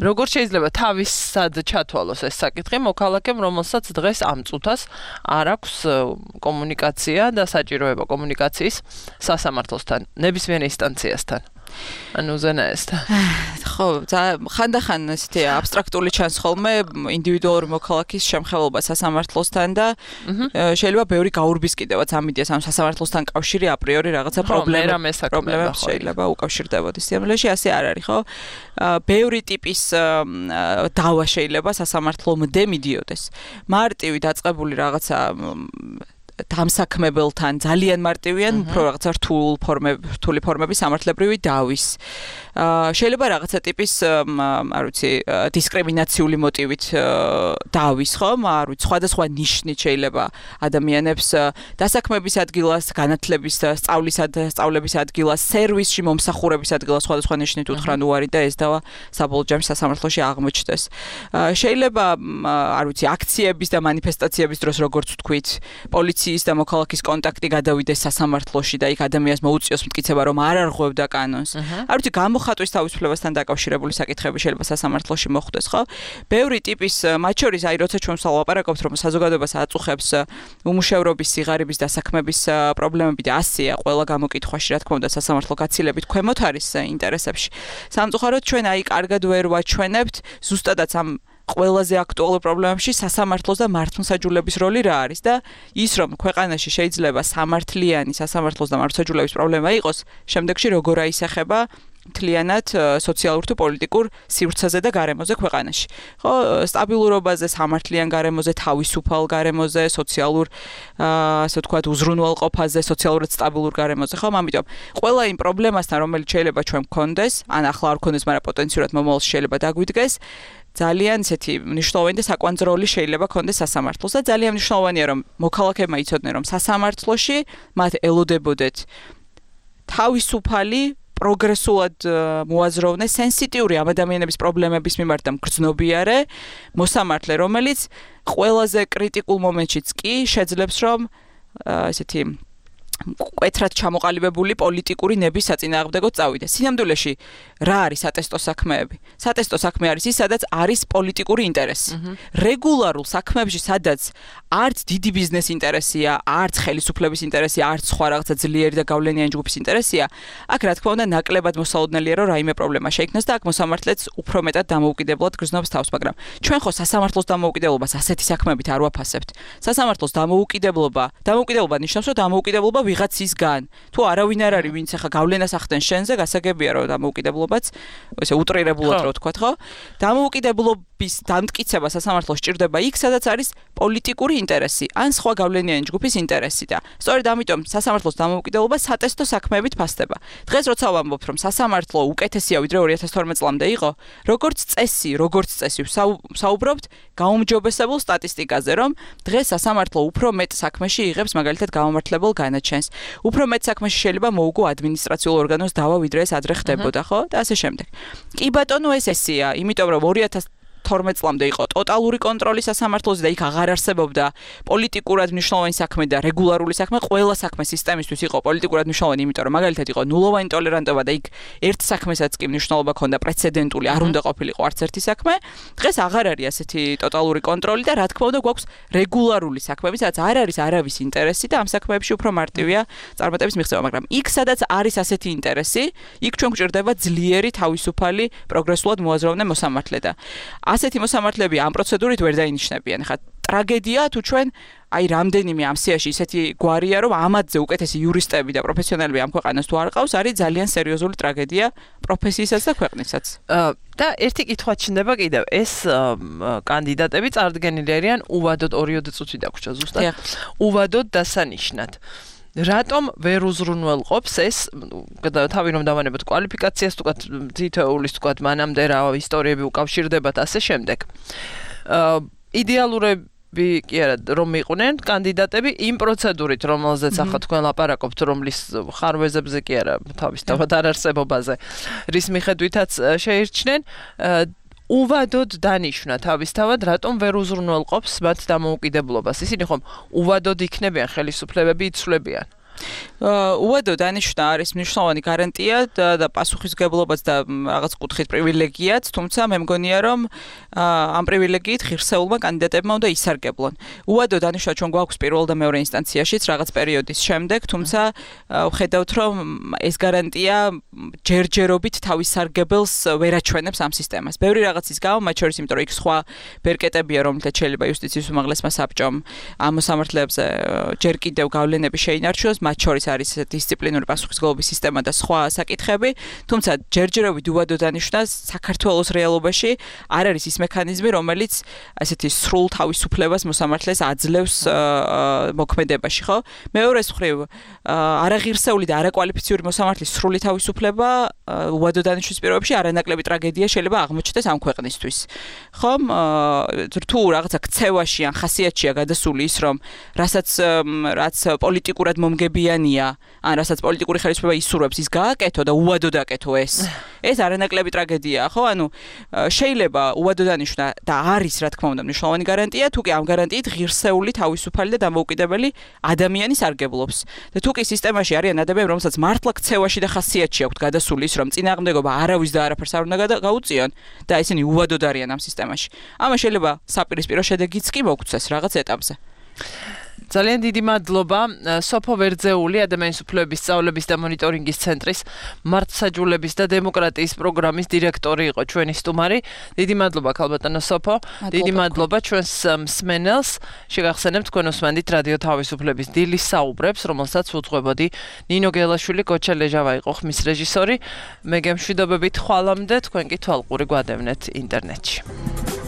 Speaker 2: როგორ შეიძლება თავისად ჩათვალოს ეს საკითხი მოქალაქემ, რომელსაც დღეს ამ წუთას არ აქვს კომუნიკაცია და საჭიროება კომუნიკაციის სასამართლოსთან, ნებისმიერ ინსტანციასთან. ანუ უზენაესთან.
Speaker 3: ხო ხო, ხანდახან ესეთი აბსტრაქტული ჩანს ხოლმე ინდივიდუალური მოქალაქის შემხელობა სასამართლოსთან და შეიძლება ბევრი გაურბის კიდევაც ამ იდეას ამ სასამართლოსთან კავშირი აპრიორი რაღაცა პრობლემა პრობლემა შეიძლება უკავშირდებოდეს. სიამოვნებაში ასე არ არის, ხო? ბევრი ტიპის დავა შეიძლება სასამართლომდე მიდიოდეს. მარტივი დაწყებული რაღაცა დამსაქმებელთან ძალიან მარტივიან, უფრო რაღაცა რთულ ფორმები, რთული ფორმები სამართლებრივი დავის. შეიძლება რაღაცა ტიპის, არ ვიცი, დისკრიმინაციული მოტივით დავის, ხო? არ ვიცი, სხვადასხვა ნიშნით შეიძლება ადამიანებს დასაქმების ადგილას, განათლების, სწავლისად, სწავლების ადგილას, სერვისში მომსახურების ადგილას სხვადასხვა ნიშნით უთხრან უარი და ეს დავა საბოლოო ჯამში სასამართლოში აღმოჩნდეს. შეიძლება, არ ვიცი, აქციების და მანიფესტაციების დროს, როგორც ვთქვით, პოლიციის და მოქალაქის კონტაქტი გადავიდეს სასამართლოში და იქ ადამიანს მოუწიოს მტკიცება, რომ არ არღვევდა კანონს. არ ვიცი, გამოხატვის თავისუფლებასთან დაკავშირებული საკითხები შეიძლება სასამართლოში მოხდეს, ხო? ბევრი ტიპის, მათ შორის, აი, როცა ჩვენ ვლაპარაკობთ, რომ საზოგადოებას აწუხებს უმუშევრობის, სიღარიბის დასაქმების პრობლემები და ასეა ყველა გამოკითხვაში, რა თქმა უნდა, სასამართლო გაცილებით ქვემოთ არის ინტერესებში. სამწუხაროდ ჩვენ აი კარგად ვერ ვაჩვენებთ ზუსტადაც ამ ყველაზე აქტუალურ პრობლემებში სასამართლოს და მართლმსაჯულების როლი რა არის და ის რომ ქვეყანაში შეიძლება სამართლიანი სასამართლოს და მართლმსაჯულების პრობლემა იყოს, შემდეგში როგორ აისახება მთლიანად სოციალურ თუ პოლიტიკურ სივრცეზე და გარემოზე ქვეყანაში. ხო, სტაბილურობაზე, სამართლიან გარემოზე, თავისუფალ გარემოზე, სოციალურ, ასე ვთქვათ, უზრუნველყოფაზე, სოციალურად სტაბილურ გარემოზე, ხო? ამიტომ ყველა იმ პრობლემასთან, რომელიც შეიძლება ჩვენ გქონდეს, ან ახლა არ გქონდეს, მაგრამ პოტენციურად მომავალში შეიძლება დაგვიდგეს, ძალიან ისეთი მნიშვნელოვანი და საკვანძრო როლი შეიძლება ქონდეს სასამართლოს და ძალიან მნიშვნელოვანია რომ მოქალაქეებმა იცოდნენ რომ სასამართლოში მათ ელოდებოდეთ თავისუფალი პროგრესულად მოაზროვნე სენსიტიური ამ ადამიანების პრობლემების მიმართ და მგრძნობიარე მოსამართლე რომელიც ყველაზე კრიტიკულ მომენტშიც კი შეძლებს რომ ესეთი კვეთრად ჩამოყალიბებული პოლიტიკური ნების საწინააღმდეგოდ წავიდეს. სინამდვილეში რა არის სატესტო საქმეები? სატესტო საქმე არის ის, სადაც არის პოლიტიკური ინტერესი. რეგულარულ საქმეებში, სადაც არც დიდი ბიზნეს ინტერესია, არც ხელისუფლების ინტერესია, არც სხვა რაღაცა ძლიერი და გავლენიანი ჯგუფის ინტერესია, აქ რა თქმა უნდა ნაკლებად მოსაოდნელია, რომ რაიმე პრობლემა შეიქმნას და აქ მოსამართლეც უფრო მეტად დამოუკიდებლად გრძნობს თავს, მაგრამ ჩვენ ხო სასამართლოს დამოუკიდებლობას ასეთი საქმეებით არ ვაფასებთ. სასამართლოს დამოუკიდებლობა, დამოუკიდებლობა ნიშნავს, რომ დამოუკიდებლობა ვიღაცისგან. თუ არავინ არ არის, ვინც ახლა გავლენას ახდენს შენზე, გასაგებია რომ დამოუკიდებლობაც, ესე უტრირებულად რო ვთქვათ, ხო? დამოუკიდებლობის დამტკიცება სასამართლოს სჭირდება იქ, სადაც არის პოლიტიკური ინტერესი, ან სხვა გავლენიანი ჯგუფის ინტერესი და სწორედ ამიტომ სასამართლოს დამოუკიდებლობა სატესტო საქმეებით ფასდება. დღეს როცა ვამბობთ, რომ სასამართლო უკეთესია ვიდრე ორი ათას თორმეტ წლამდე იყო, როგორც წესი, როგორც წესი საუბრობთ გაუმჯობესებულ სტატისტიკაზე, რომ დღეს სასამართლო უფრო მეტ საქმეში იღებს მაგალითად გამომართლებელ განაჩენს. უფრო მეტ საქმეში შეიძლება მოუგო ადმინისტრაციულ ორგანოს დავა, ვიდრე ეს ადრე ხდებოდა, ხო? და ასე შემდეგ. კი ბატონო, ეს ესეა, იმიტომ რომ ორი ათას თორმეტ წლამდე იყო ტოტალური კონტროლი სასამართლოზე და იქ აღარ არსებობდა პოლიტიკურად მნიშვნელოვანი საქმე და რეგულარული საქმე, ყველა საქმე სისტემისთვის იყო პოლიტიკურად მნიშვნელოვანი, იმიტომ რომ მაგალითად იყო ნულოვანი ტოლერანტობა და იქ ერთ საქმესაც კი მნიშვნელობა ჰქონდა პრეცედენტული, არ უნდა ყოფილიყო არც ერთი საქმე. დღეს აღარ არის ასეთი ტოტალური კონტროლი და რა თქმა უნდა გვაქვს რეგულარული საქმეები, სადაც არ არის არავის ინტერესი და ამ საქმეებში უფრო მარტივია წარმატების მიღწევა, მაგრამ იქ სადაც არის ასეთი ინტერესი, იქ ჩვენ გვჭირდება ძლიერი, თავისუფალი, პროგრესულად მოაზროვნე მოსამართლე და ასეთი მოსამართლეები ამ პროცედურით ვერ დაინიშნებიან. ხა ტრაგედია თუ ჩვენ აი რამდენიმე ამ სიაში ისეთი გვარია, რომ ამათზე უკეთესი იურისტები და პროფესიონალები ამ ქვეყანას თუ არ ყავს, არის ძალიან სერიოზული ტრაგედია პროფესიისაც და ქვეყნისაც.
Speaker 2: და ერთი კითხვა ჩნდება კიდევ, ეს კანდიდატები წარდგენილი არიან უვადოდ ორიოდე წუთი დაგვრჩა ზუსტად. უვადოდ დასანიშნად. რატომ ვერ უზრუნველყოფს ეს თავი რომ დავანებოთ კვალიფიკაციას თქვათ თითოეულის თქვათ მანამდე რა ისტორიები უკავშირდებათ ასე შემდეგ. იდეალურები კი არა რომ იყვნენ კანდიდატები იმ პროცედურით რომელზეც ახლა თქვენ ლაპარაკობთ რომლის ხარვეზებზე კი არა თავისთავად არ არსებობაზე რის მიხედვითაც შეირჩნენ უვადოდ დანიშნა თავისთავად რატომ ვერ უზრუნველყოფს მათ დამოუკიდებლობას. ისინი ხომ უვადოდ იქნებიან ხელისუფლებები იცვლებიან.
Speaker 3: უადო დანიშვნა არის მნიშვნელოვანი გარანტია და პასუხისმგებლობაც და რაღაც კუთხით პრივილეგიაც, თუმცა მე მგონია რომ ამ პრივილეგიით ღირსეულმა კანდიდატებმა უნდა ისარგებლონ. უადო დანიშვნა ჩვენ გვაქვს პირველ და მეორე ინსტანციაშიც რაღაც პერიოდის შემდეგ, თუმცა ვხედავთ რომ ეს გარანტია ჯერჯერობით თავის სარგებელს ვერ აჩვენებს ამ სისტემას. ბევრი რაღაცის გამო, მათ შორის იმიტომ რომ იქ სხვა ბერკეტებია, რომლითაც შეიძლება იუსტიციის უმაღლესმა საბჭომ ამ მოსამართლეებზე ჯერ კიდევ გავლენები შეინარჩუნოს, მათ შორის არის დისციპლინური პასუხისმგებლობის სისტემა და სხვა საკითხები, თუმცა ჯერჯერობით უადო დანიშვნა საქართველოს რეალობაში არ არის ის მექანიზმი, რომელიც ასეთი სრულ თავისუფლებას მოსამართლეს აძლევს მოქმედებაში, ხო? მეორეს მხრივ, არაღირსეული და არაკვალიფიციური მოსამართლის სრული თავისუფლება უადო დანიშვნის პირობებში არანაკლები ტრაგედია შეიძლება აღმოჩნდეს ამ ქვეყნისთვის. ხომ? თუ რაღაცა ქცევაში ან ხასიათშია გადასული ის, რომ რასაც რაც პოლიტიკურად მომგებიანია, ან რასაც პოლიტიკური ხელისუფლება ისურვებს, ის გააკეთო და უადო დაკეთო ეს. ეს არანაკლები ტრაგედიაა, ხო? ანუ შეიძლება უადო დანიშვნა და არის, რა თქმა უნდა, მნიშვნელოვანი გარანტია, თუ კი ამ გარანტიით ღირსეული, თავისუფალი და დამოუკიდებელი ადამიანი სარგებლობს. და თუ კი სისტემაში არიან ადამიანები, რომელსაც მართლა ქცევაში და ხასიათში აქვთ გადასული ის, რომ წინააღმდეგობა არავის და არაფერს არ უნდა გაუწიონ და ისინი უადოდ არიან ამ სისტემაში. ამას შეიძლება საპირისპირო შედეგიც კი მოგცეს რაღაც ეტაპზე.
Speaker 2: ძალიან დიდი მადლობა სოფო ვერძეული ადამიანის უფლებების სწავლების და მონიტორინგის ცენტრის მართლმსაჯულების და დემოკრატიის პროგრამის დირექტორი იყო ჩვენი სტუმარი. დიდი მადლობა ქალბატონო სოფო. დიდი მადლობა ჩვენს მსმენელს. შეგახსენებთ თქვენ უსმენთ რადიო თავისუფლების დილის საუბრებს, რომელსაც უძღვებოდი ნინო გელაშვილი, კოჩა ლეჟავა იყო ხმის რეჟისორი. მე გემშვიდობებით ხვალამდე თქვენ კი თვალყური გვადევნეთ ინტერნეტში.